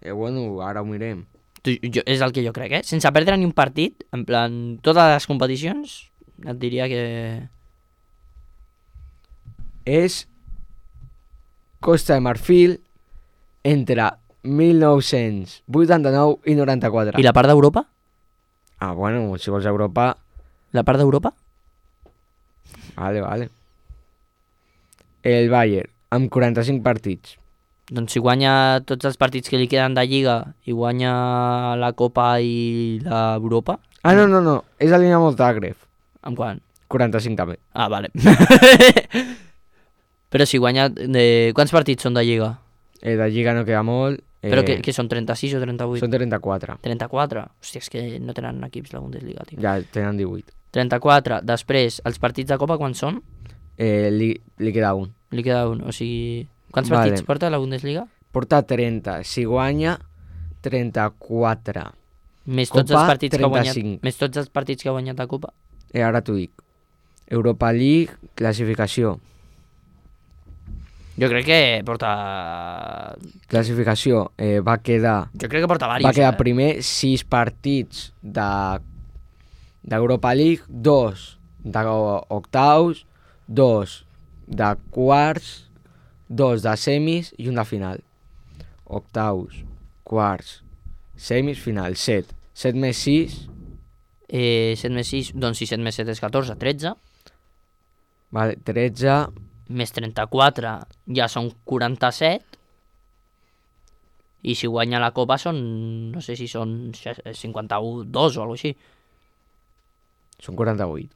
Bueno, ara ho mirem. És el que jo crec, sense perdre ni un partit, en plan, totes les competicions, et diria que... És Costa de Marfil entre 1989 i 94. I la part d'Europa? Ah, bueno, si vols Europa... La part d'Europa? Vale. El Bayern, amb 45 partits. Doncs si guanya tots els partits que li queden de Lliga i guanya la Copa i l'Europa... Ah, no, és el Dinamo Zagreb. Amb quant? 45 també. Ah, vale. Però si guanya... Quants partits són de Lliga? De Lliga no queda molt. Però que són 36 o 38? Són 34. 34? Hòstia, és que no tenen equips la Bundesliga, tio. Ja, tenen 18. 34. Després, els partits de Copa, quants són? Li queda un. Li queda un, o sigui... Quants partits porta la Bundesliga? Porta 30. Si guanya, 34. Més tots els partits 35. que ha guanyat. Més tots els partits que ha guanyat la Copa. Ara t'ho dic. Europa League, classificació. Jo crec que porta... Classificació, va quedar primer 6 partits d'Europa League, 2 d'octaus, 2 de quarts, 2 de semis i un de final. Octaus, quarts, semis, final, 7. 7 més 6... 7 més 6, doncs si 7 més 7 és 14, 13. Vale, 13... Més 34 ja són 47. I si guanya la Copa són... No sé si són 51, 2 o alguna així. Són 48.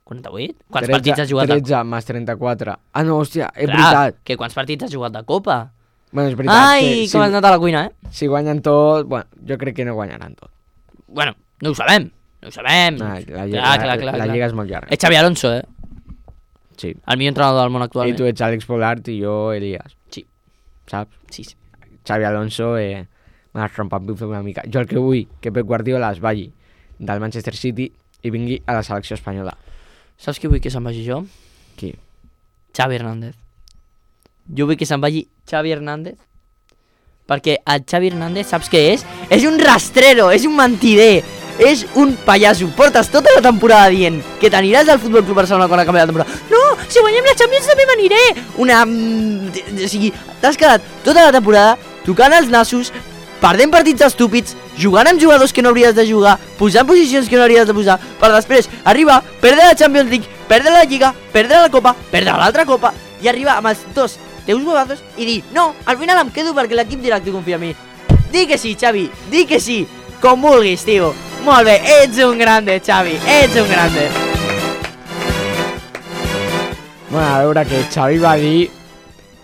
48? Quants partits has jugat 13 més 34. Ah, no, hòstia, és veritat. Que quants partits has jugat de Copa? Bueno, és veritat. Ai, com has anat a la cuina, Si guanyen tot... Bueno, jo crec que no guanyaran tot. Bueno, no ho sabem. No ho sabem. La lliga és molt llarga. És Xavi Alonso, Sí. El millor entrenador del món actualment. I tu ets Àlex Polart i jo Elias. Sí. Saps? Sí. Xavi Alonso m'ha rompat una mica. Jo el que vull que Pep Guardiola es vagi del Manchester City i vingui a la selecció espanyola. Saps qui vull que se'n vagi jo? Qui? Xavi Hernández. Jo vull que se'n vagi Xavi Hernández perquè el Xavi Hernández saps què és? És un rastrero, és un mentider, és un pallasso. Portes tota la temporada dient que t'aniràs al Futbol Club Barcelona quan acabi la temporada. No, si guanyem la Champions també m'aniré. O sigui, t'has quedat tota la temporada tocant els nassos, perdent partits estúpids, jugant amb jugadors que no hauries de jugar, posant posicions que no hauries de posar, per després arribar, perdre la Champions League, perdre la Lliga, perdre la Copa, perdre l'altra Copa i arribar amb els dos teus huevazos i dir, no, al final em quedo perquè l'equip directiu confia en mi. Di que sí, Xavi, di que sí, com vulguis, tio. Molt bé, ets un grande, Xavi, ets un grande. Bueno, a veure, que Xavi va dir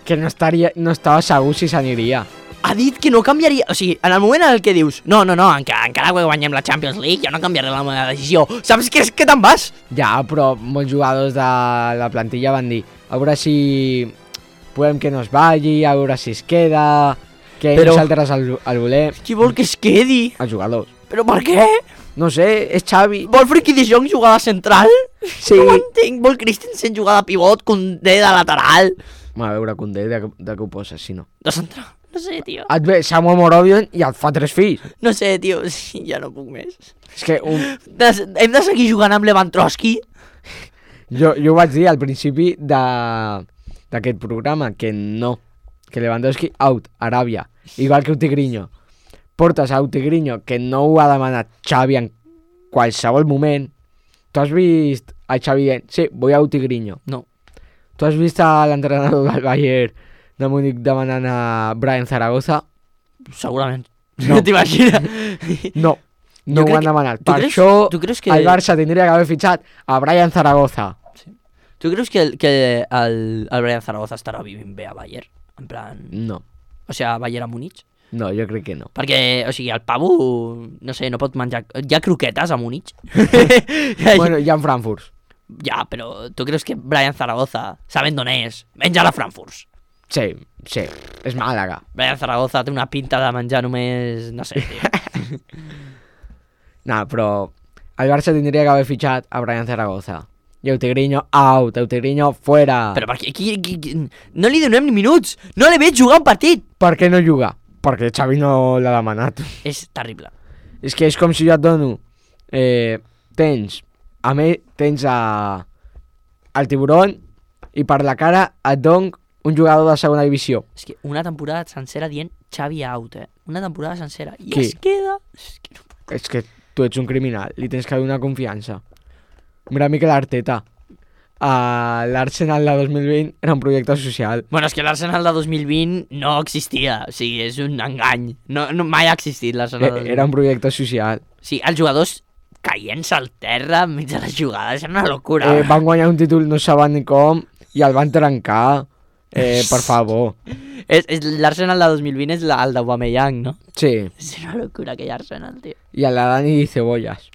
que no estava segur si s'aniria. Ha dit que no canviaria, o sigui, en el moment en el que dius no, encara que guanyem la Champions League jo no canviaré la meva decisió, saps que és que te'n vas? Ja, però molts jugadors de la plantilla van dir a veure si podem que no es vagi, a veure si es queda, que nosaltres el volem. Qui vol que es quedi? Els jugadors. Però per què? No sé, és Xavi. Vol Frenkie de Jong jugar de central? Sí. No ho entenc, vol Christensen jugar de pivot, Koundé de lateral. A veure, Koundé, de què ho poses, si no? De central, no sé, tio. Et ve Samuel Morovion i et fa 3 fills. No sé, tio, sí, ja no puc més. És que... Hem de seguir jugant amb Lewandowski? Jo ho vaig dir al principi d'aquest programa, que no, que Lewandowski out, Aràbia, igual que Utigrinho. Portes a Utigrinho, que no ho ha demanat Xavi en qualsevol moment. Tu has vist a Xavi dient, sí, vull a Utigrinho? No. Tu has vist a l'entrenador del Bayern de Múnich demanant a Brian Zaragoza? Segurament. No. T'imagines? No ho han demanat. Per això el Barça tindria que haver fitxat a Brian Zaragoza. Sí. Tu creus que el Brian Zaragoza estarà vivint bé a Bayern? En plan... No. O sigui, a Bayern a Múnich? No, jo crec que no. Perquè, o sigui, el pavo, no sé, no pot menjar... Hi ha croquetes a Múnich? Bueno, hi ha Frankfurt. Ja, però tu creus que Brian Zaragoza, sabent d'on és, menja la Frankfurt? Sí, és Màlaga. Brian Zaragoza té una pinta de menjar només... no sé, tio. No, però el Barça tindria que haver fitxat a Brian Zaragoza. I Utigrinho out, Utigrinho fuera. Però per què? No li donem ni minuts. No li veig jugar un partit. Per què no juga? Perquè Xavi no l'ha demanat. És terrible. És que és com si jo et dono... tens el tiburon i per la cara et dono un jugador de segona divisió. És que una temporada sencera dient Xavi out, Una temporada sencera. I Qui? es queda... És que tu ets un criminal, li tens que donar confiança. Mira Mikel Arteta. L'Arsenal de 2020 era un projecte social. Bueno, és que l'Arsenal de 2020 no existia. O sigui, és un engany. No, mai ha existit l'Arsenal de 2020. Era un projecte social. Sí, els jugadors caient-se al terra enmig de les jugades, era una locura. Van guanyar un títol, no saben ni com, i el van trencar. Per favor. L'Arsenal de 2020 és el d'Aubameyang, no? Sí. És una locura aquell Arsenal, tio. I el de Dani Cebollas.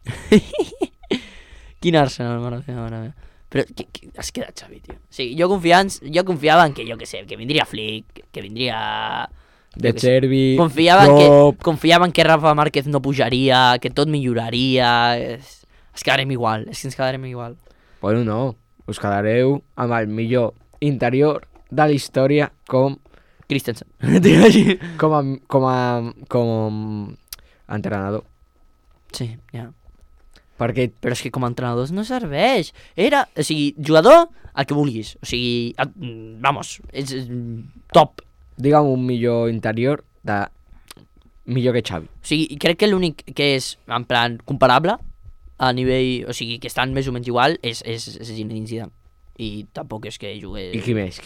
Quin Arsenal, mare meva. Però has quedat, Xavi, tio. O sigui, jo confiava en que, jo què sé, que vindria Flick, que vindria... De Chervi, Confiava en que Rafa Márquez no pujaria, que tot milloraria... Ens quedarem igual, és que ens quedarem igual. Bueno, no. Us quedareu amb el millor interior de la història com Christensen. Digue així. com entrenador. Sí, ja. Perquè Però és que com a entrenadors no serveix. O sigui, jugador, el que vulguis. O sigui, vamos, és top. digue'm un millor interior millor que Xavi. O sigui, crec que l'únic que és, en plan, comparable a nivell, o sigui, que estan més o menys igual, és Zinedine Zidane. I tampoc és que jugué... I qui més?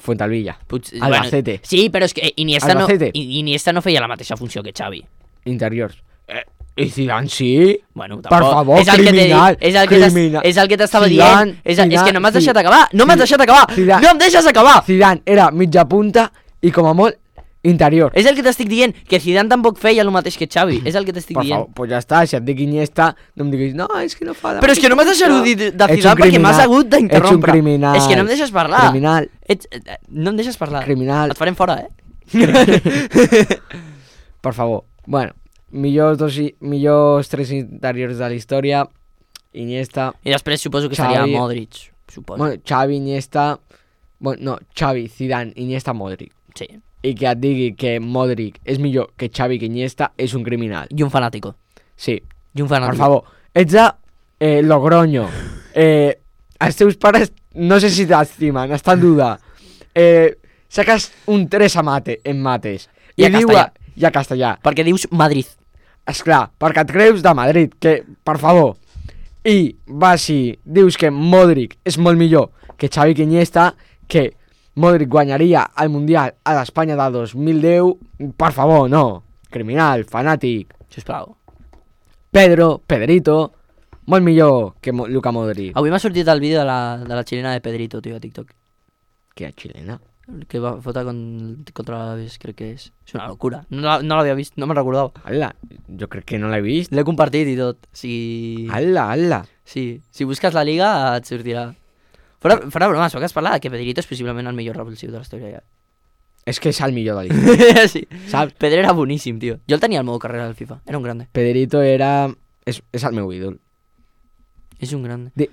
Fuentalvilla. Bueno, Albacete. sí, però és que Albacete. Iniesta no feia la mateixa funció que Xavi. Interiors. I Zidane sí? Bueno, tampoc. Per favor, és el criminal. Que és el que t'estava Zidane, dient. És que no m'has Zidane, deixat acabar. No m'has deixat acabar. Zidane. No em deixes acabar. Zidane era mitja punta i com a molt interior. És el que t'estic dient, que Zidane tampoc feia el mateix que Xavi. És el que t'estic Per dient. favor, pues ja està, si et dic Iniesta, no em diguis, no, és que no fa... Però és que no m'has deixat dir de Zidane perquè m'has hagut d'interrompre. Ets un criminal. És que no em deixes parlar. Criminal. No em deixes parlar. Criminal. Et farem fora, Per favor. Bueno, millors tres interiors de la història. Iniesta. I després suposo que Xavi. estaria Modric. Suposo. Bueno, Xavi, Iniesta... Bueno, no, Xavi, Zidane, Iniesta, Modric. Sí. I que et digui que Modric és millor que Xavi que Iniesta és un criminal. I un fanàtico. Sí. I un fanàtico. Per favor. Ets de Logroño. Els teus pares no sé si t'estimen, està en duda. Saques un 3 en mates. I a castellà. I a castellà. Perquè dius Madrid. Esclar, perquè et creus de Madrid, que, per favor. I vas i dius que Modric és molt millor que Xavi que Iniesta, que Modric guanyaria el Mundial a l'Espanya de 2010, per favor, no. Criminal, fanàtic. Sisplau. Pedrito, molt millor que Luka Modric. Avui m'ha sortit el vídeo de la xilena de Pedrito, tio, a TikTok. Que és xilena? Que va fotre contra l'Alaves, crec que és. És una locura. No l'havia vist, no me'n recordava. Ala, jo crec que no l'he vist. L'he compartit i tot. O sigui... Ala. Sí, si busques la liga et sortirà. Fora broma, que has parlat que Pedrito és possiblement el millor revulsiu de la història. Ja. És que és el millor de l'història. Sí. Saps? Pedro era boníssim, tio. Jo el tenia al meu carrera del FIFA. Era un grande. Pedrito era... És el meu ídol. És un grande.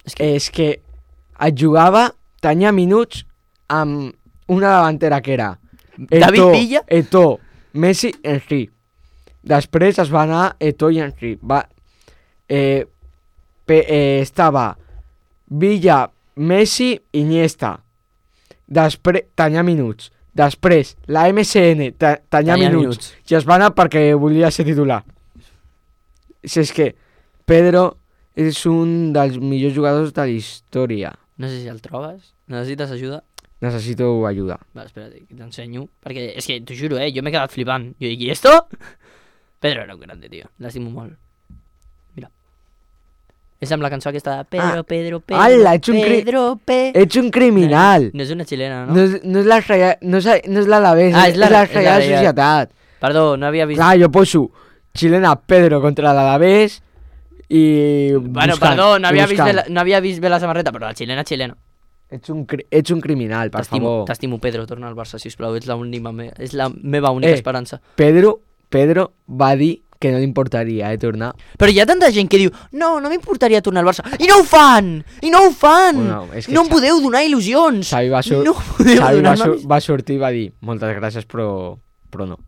És que et jugava, tenia minuts amb una davantera que era David Villa, Eto'o, Messi, Henry. Després es va anar Eto'o i Henry. Estava Villa, Messi, Iniesta. Després tenia minuts. Després la MSN tenia minuts. I es va anar perquè volia ser titular. Si és que Pedro és un dels millors jugadors de la història. no sé si el trobes. Necessites ajuda? Necessito ajuda. Va, espera't, que t'ensenyo. Perquè és que, t'ho juro, jo m'he quedat flipant. Jo dic, ¿y esto? Pedro era un grande, tio. L'estimo molt. Mira. És amb la cançó aquesta de Pedro. Ala, ets un criminal. No és una xilena, no? No és l'Alavés, és la Real Societat. Perdó, no havia vist... Clar, jo poso xilena Pedro contra l'Alavés i... Bueno, perdó, no havia vist bé la samarreta, però la xilena. Ets un criminal, per favor. T'estimo, Pedro, torna al Barça, sisplau. És la meva única esperança. Pedro va dir que no li importaria tornar. Però hi ha tanta gent que diu no m'importaria tornar al Barça. I no ho fan! Bueno, no em podeu donar il·lusions! Xavi va sortir i va dir moltes gràcies, però no.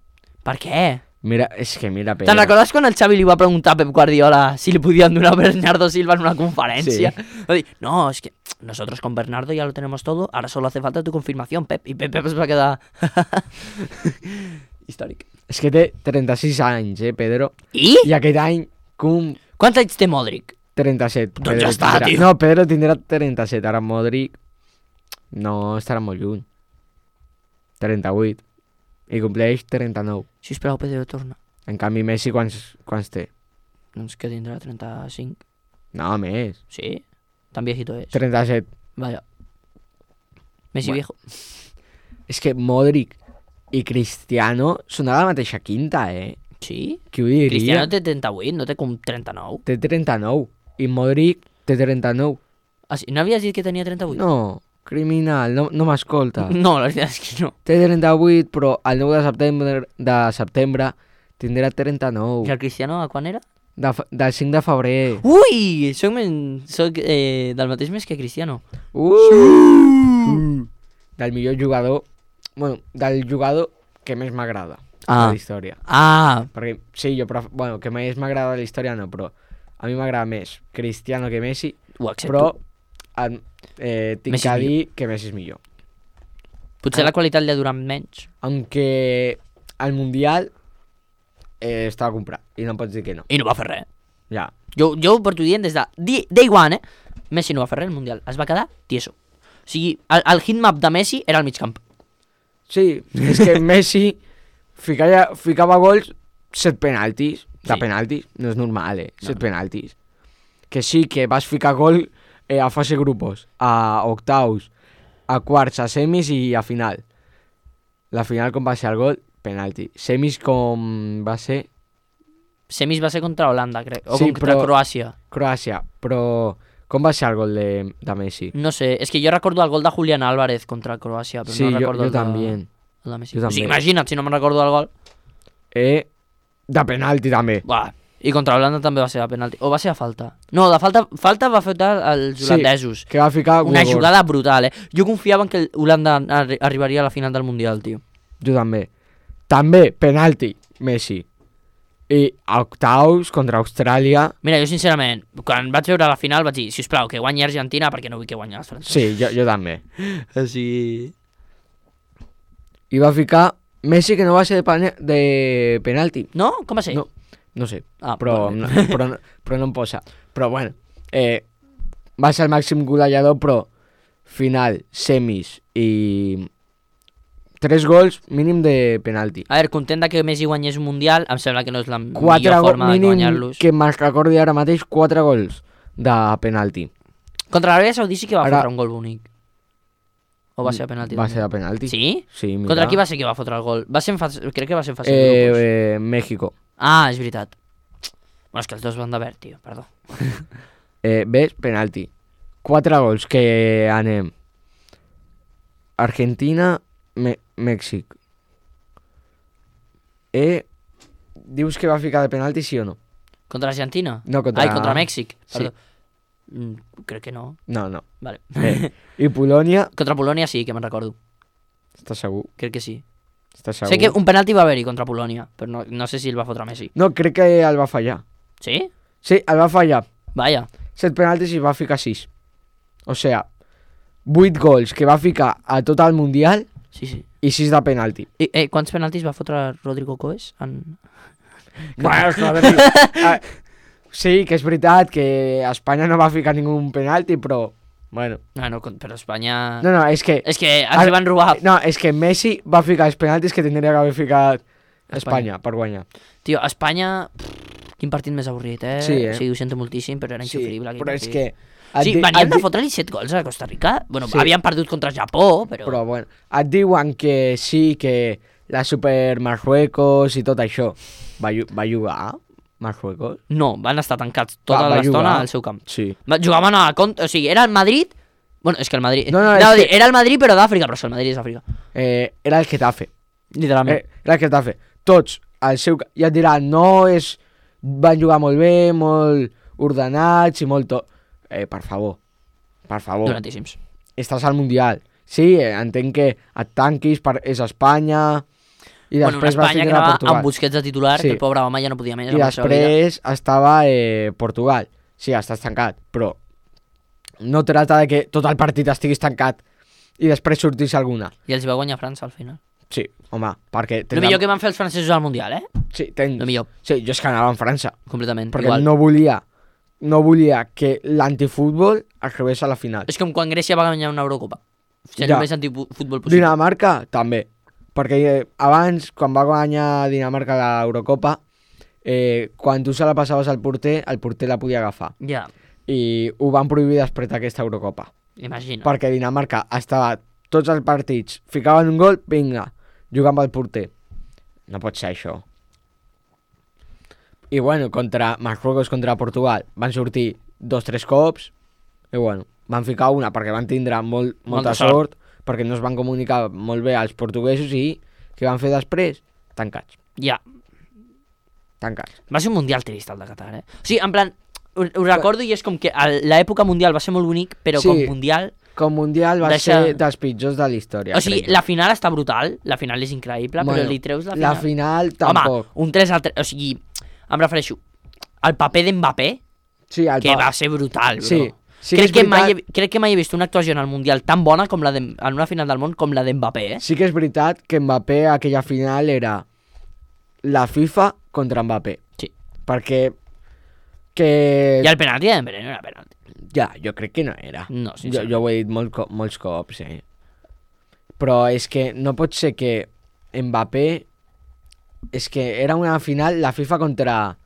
Per què? Mira Pedro. Te'n recordes quan el Xavi li va preguntar a Pep Guardiola si li podien donar a Bernardo Silva en una conferència? Sí. Va dir, no, es que nosotros con Bernardo ya lo tenemos todo, ahora solo hace falta tu confirmación, Pep. I Pep es va quedar... històric. És que té 36 anys, Pedro. I? I aquest any, Quants anys té Modric? 37. Doncs ja està, tio. No, Pedro tindrà 37, ara Modric no estarà molt lluny. 38. I compleix 39. Sisplau, Pedro, torna. En canvi, Messi quants té? Doncs que tindrà 35. No, més. Sí? Tan viejito es. 37. Vaya. Messi viejo. És que Modric i Cristiano són a la mateixa quinta, Sí? Qui ho diria? Cristiano té 38, no té com 39. Té 39. I Modric té 39. Ah, sí? No havies dit que tenia 38? No, criminal, no m'escolta. No, la veritat és que no. Té 38, però el 9 de setembre tindrà 39. I el Cristiano a quan era? Del 5 de febrer. Ui! Soc del mateix mes que Cristiano. del millor jugador, bueno, del jugador que més m'agrada de la història. Perquè, sí, bueno, que més m'agrada de la història no, però a mi m'agrada més Cristiano que Messi, però tinc que dir que Messi és millor. Potser la qualitat li ha durat menys. Aunque al Mundial estava comprat i no pots dir que no. I no va fer res. Ja. Jo ho porto dient des de day one, Messi no va fer res al Mundial. Es va quedar tieso. O sigui, el hitmap de Messi era al mig camp. Sí, és que Messi ficava gols 7 penaltis. De penaltis, no és normal, 7 penaltis. Que sí, que vas ficar gol a fase grupos, a octaus, a quarts, a semis i a final. La final com va ser el gol? Penalti. Semis com va ser? Semis va ser contra Holanda, crec. O sí, contra Croàcia. Croàcia, però com va ser el gol de Messi? No sé, és que jo recordo el gol de Julián Álvarez contra Croàcia, però sí, no recordo el de Messi. O sigui, imagina't si no me'n recordo el gol. De penalti també. I contra Holanda també va ser de penalti. O va ser a falta? No, de falta va fer els holandesos. Sí, que va ficar una jugada brutal, Jo confiava en que Holanda arribaria a la final del Mundial, tio. Jo també. També, penalti, Messi. I a octaus contra Austràlia. Mira, jo sincerament, quan vaig veure la final vaig dir, sisplau, que guanyi Argentina perquè no vull que guanyi els francesos. Sí, jo també. Sí. I va ficar Messi, que no va ser de penalti. No? Com va ser? No sé, però no em posa. Però bueno, va ser el màxim golejador, però final, semis i 3 gols mínim de penalti. A veure, content que Messi guanyés un Mundial, em sembla que no és la millor forma de guanyar-los. Que me'n recordi ara mateix 4 gols de penalti. Contra l'Aràbia Saudí sí que va fotre un gol bonic. O va ser de penalti? Va ser de penalti. Sí? Sí, mira. Contra qui va ser que va fotre el gol? Crec que va ser en fase de grupos. México. És veritat. Bueno, és que els dos van de verd, tio, perdó. Ves, penalti. 4 gols que anem. Argentina, Mèxic. Dius que va ficar de penalti, sí o no? Contra Argentina? No, contra Mèxic. Perdó. Sí. Crec que no. No. Vale. I Polònia? Contra Polònia sí, que me'n recordo. Estàs segur? Crec que sí. Estàs segur? Sé que un penalti va haver-hi contra Polònia, però no sé si el va fotre Messi. No, crec que el va fallar. Sí? Sí, el va fallar. Vaya. 7 penaltis i va ficar 6. O sea, 8 gols que va ficar a tot el Mundial. Sí. I 6 de penalti. I quants penaltis va fotre Rodrigo Coes? Bueno, sí, que és veritat que Espanya no va ficar ningú penalti, però... Bueno. No, però Espanya... No, és que... És que ens van robar... No, és que Messi va ficar els penaltis que tindria que haver ficat Espanya per guanyar. Tio, Espanya... Quin partit més avorrit, Sí, Sí, ho sento moltíssim, però era insufrible. Sí, però és que... Sí, venien de fotre-li 7 gols a Costa Rica. Bueno, sí. Havien perdut contra Japó, però... Però, bueno, et diuen que sí, que la Super Marruecos i tot això va jugar Marruecos? No, van estar tancats tota l'estona al seu camp. Sí. Jugaven a contra... O sigui, era el Madrid... Bueno, és que el Madrid... No, era el Madrid, però d'Àfrica, però el Madrid és d'Àfrica. Era el Getafe. Literalment. Era el Getafe. Tots, al seu... Ja et diran, no és... Van jugar molt bé, molt ordenats i molt tot. Per favor. Dolentíssims. Estàs al Mundial. Sí, entenc que et tanquis, és Espanya... I després vas tindre a Portugal. Amb Busquets de titular, que el pobre home ja no podia més. I després estava Portugal. Sí, estàs tancat, però no trata de que tot el partit estiguis tancat i després sortís alguna. I els va guanyar França al final. Sí, home, perquè... El millor que van fer els francesos al Mundial, Sí, el millor. Sí, jo és que anava en França. Completament, perquè igual. No volia que l'antifutbol arribés a la final. És com quan Grècia va guanyar una Eurocopa. Només antifutbol possible. Dinamarca, també. Perquè abans, quan va guanyar Dinamarca l'Eurocopa, quan tu se la passaves al porter la podia agafar. Ja. I ho van prohibir després d'aquesta Eurocopa. Imagina. Perquè Dinamarca estava tots els partits, ficaven un gol, vinga, jugant amb el porter. No pot ser això. I bueno, contra Marruecos, contra Portugal, van sortir 2-3 cops, i bueno, van ficar una perquè van tindre molta sort, perquè no es van comunicar molt bé als portuguesos i què van fer després? Tancats. Ja. Tancats. Va ser un mundial trist el de Qatar, O sigui, en plan, ho recordo i és com que l'època mundial va ser molt bonic, però com mundial... com mundial va ser dels pitjors de la història. O sigui, la final està brutal, la final és increïble, però li treus la final. La final tampoc. Home, un 3-3, o sigui, em refereixo al paper d'Mbappé, que va ser brutal, bro. Sí, crec que mai he vist una actuació en el Mundial tan bona com en una final del món com la d'Mbappé, Sí que és veritat que Mbappé aquella final era la FIFA contra Mbappé. Sí. Perquè... I el penalti de Dembélé no era penalti. Ja, jo crec que no era. No, jo ho he dit molts cops, Però és que no pot ser que Mbappé... És que era una final la FIFA contra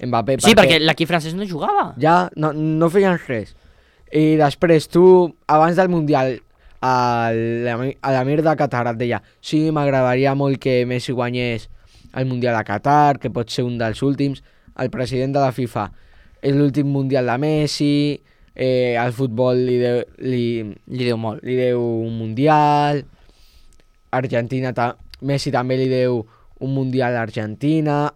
Mbappé. Sí, perquè l'equip francès no jugava. Ja, no feien res. I després tu, abans del Mundial, a l'Amir de Qatar et deia sí, m'agradaria molt que Messi guanyés el Mundial a Qatar, que pot ser un dels últims. El president de la FIFA és l'últim Mundial de Messi... al futbol li deu molt. Li deu un mundial. Argentina, Messi també li deu un mundial a Argentina.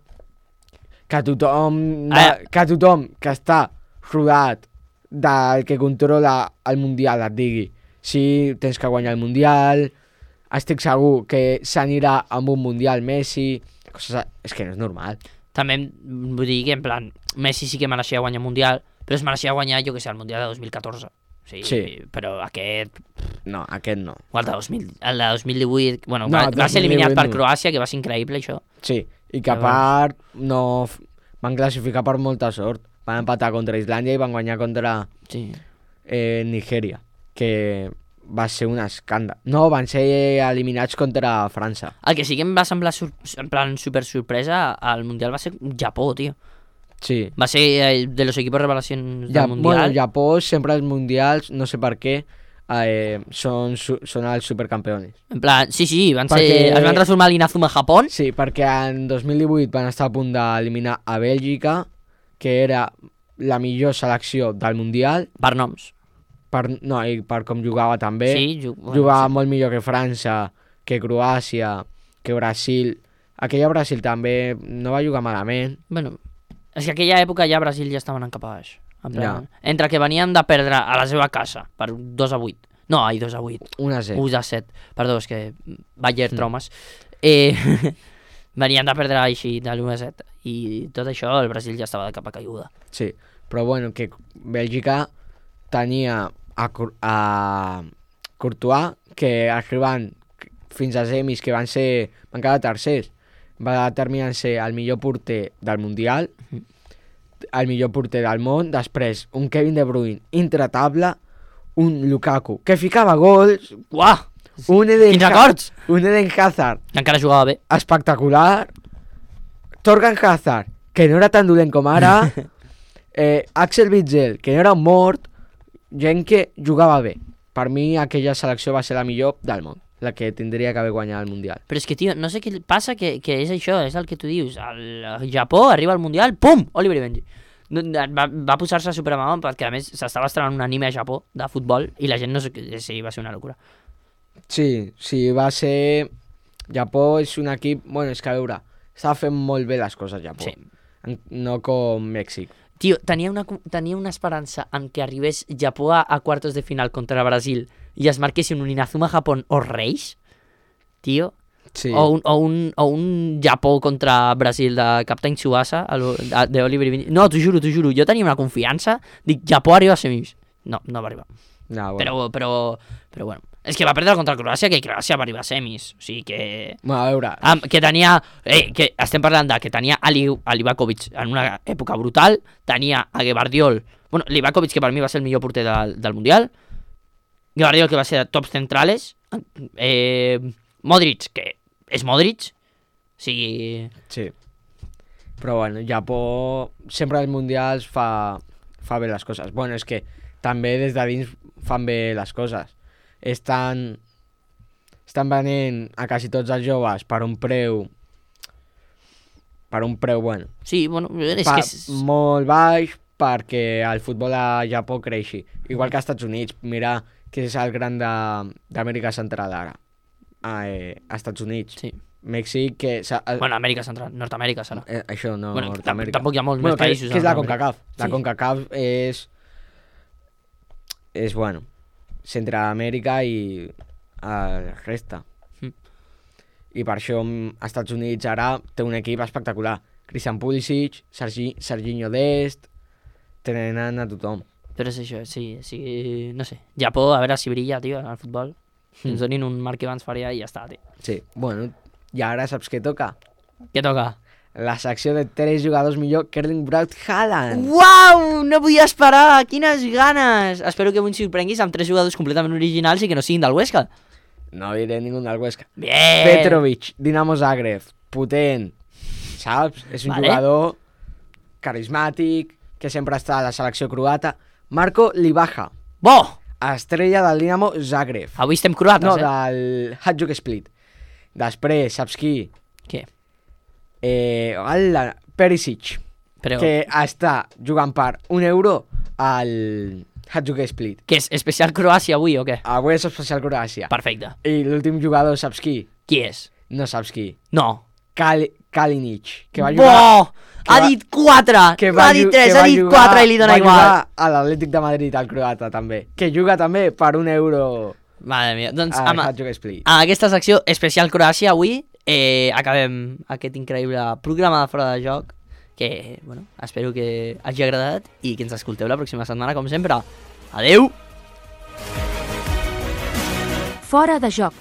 Que tothom que està rodat del que controla el mundial et digui sí, tens que guanyar el mundial, estic segur que s'anirà amb un mundial Messi, és que no és normal. També vull dir que en plan Messi sí que mereixia guanyar el mundial, però es mereixia guanyar, jo que sé, el Mundial de 2014. Sí. Però aquest... No, aquest no. O el de 2018... Bueno, va ser eliminat per Croàcia, que va ser increïble, això. Sí, i que a part no van classificar per molta sort. Van empatar contra Islàndia i van guanyar contra Nigèria, que va ser un escàndol. No, van ser eliminats contra França. El que sí que em va semblar en plan super sorpresa al Mundial va ser Japó, tio. Sí. Va ser de los equipos revelacions del Mundial. Bueno, Japó sempre els Mundials, no sé per què, són els supercampeones. En plan, sí, es van transformar l'Inazuma Japó. Sí, perquè en 2018 van estar a punt d'eliminar a Bèlgica, que era la millor selecció del Mundial. Per noms. I per com jugava també. Sí, jugava molt millor que França, que Croàcia, que Brasil. Aquella Brasil també no va jugar malament. Bueno... És que aquella època ja Brasil ja estaven en cap a baix. Entre que venien de perdre a la seva casa per 2-8. No, 2-8. 1-7. 1-7. Perdó, és que Bayer traumes. Venien de perdre així de l'1-7. I tot això el Brasil ja estava de capa caiguda. Sí, però bueno, que Bèlgica tenia a Courtois, que arribant fins a semis, que van quedar tercers. Va terminar ser el millor porter del Mundial, el millor porter del món, després un Kevin De Bruyne intratable, un Lukaku que ficava gols, uah, un Eden Hazard que encara jugava bé, espectacular, Torgan Hazard, que no era tan dolent com ara, Axel Witsel, que no era un mort, gent que jugava bé. Per mi aquella selecció va ser la millor del món, la que tindria que haver guanyat el Mundial. Però és que, tio, no sé què passa, que és això, és el que tu dius. El Japó arriba al Mundial, pum, Oliver i Benji. Va posar-se supermamón, perquè a més s'estava estrenant un anime a Japó de futbol i la gent no sé... Sí, va ser una locura. Sí, va ser... Japó és un equip... Bueno, és que a veure, estava fent molt bé les coses Japó. Sí. No com Mèxic. Tio, tenia una esperança en que arribés Japó a quartos de final contra Brasil i es marquessin un Inazuma Japón o Reis, tio, sí. o un Japó contra Brasil de Captain Tsubasa, de Oliver i Benji. No, t'ho juro, jo tenia una confiança, dic, Japó arriba a semis. No va arribar. No, bueno. Però bueno, és que va perdre contra Croàcia, que Croàcia va arribar a semis, o sigui que... Bueno, a veure... que tenia... que estem parlant que tenia a Livakovic en una època brutal, tenia a Guevardiol... Bueno, Livakovic, que per mi va ser el millor porter del Mundial, Guevardiol, que va ser de tops centrales, Modric, que és Modric, o sigui... Sí. Però bueno, Japó sempre als Mundials fa bé les coses. Bueno, és que també des de dins fan bé les coses. Estan venent a quasi tots els joves per un preu bueno. Sí, bueno, és que és... molt baix perquè el futbol a Japó creixi. Igual que als Estats Units. Mira que és el gran d'Amèrica Central ara. Als Estats Units. Sí. Mèxic, que... Bueno, Amèrica Central, Nord-Amèrica serà. Això no, bueno, Nord-Amèrica. Tampoc hi ha molts més països. Que és la CONCACAF. La CONCACAF és bueno. Centreamèrica i la resta. I per això als Estats Units ara té un equip espectacular. Christian Pulisic, Serginho Dest, tenen a tothom. Però és això, sí, no sé. Japó, a veure si brilla, tio, al futbol. Ens donin un Marc Evans Faria i ja està, tio. Sí, bueno, i ara saps què toca? Què toca? La secció de 3 jugadors millor que Erling Braut Haaland. Uau! No podia esperar! Quines ganes! Espero que avui ens sorprenguis amb 3 jugadors completament originals i que no siguin del Huesca. No diré ningú del Huesca. Bien! Petrovic, Dinamo Zagreb, potent, saps? És un jugador carismàtic, que sempre està a la selecció croata. Marco Livaja. Bo! Estrella del Dinamo Zagreb. Avui estem croates, No, del Hajduk Split. Després, saps qui? Què? Perisic, Però... que està jugant per €1 al Hajduk Split. Què és? Especial Croàcia avui o què? Avui és especial Croàcia. Perfecte. I l'últim jugador, saps qui? Qui és? No saps qui. No. Kalinic, que va jugar... Bo! Ha dit 4! No ha dit 3, ha dit 4 i li dona igual. Va jugar a l'Atlètic de Madrid, al croata, també. Que juga també per €1 Madre mia. Doncs al Hajduk Split. amb aquesta secció especial Croàcia avui acabem aquest increïble programa de Fora de Joc que, bueno, espero que hagi agradat i que ens escolteu la pròxima setmana, com sempre. Adeu! Fora de Joc,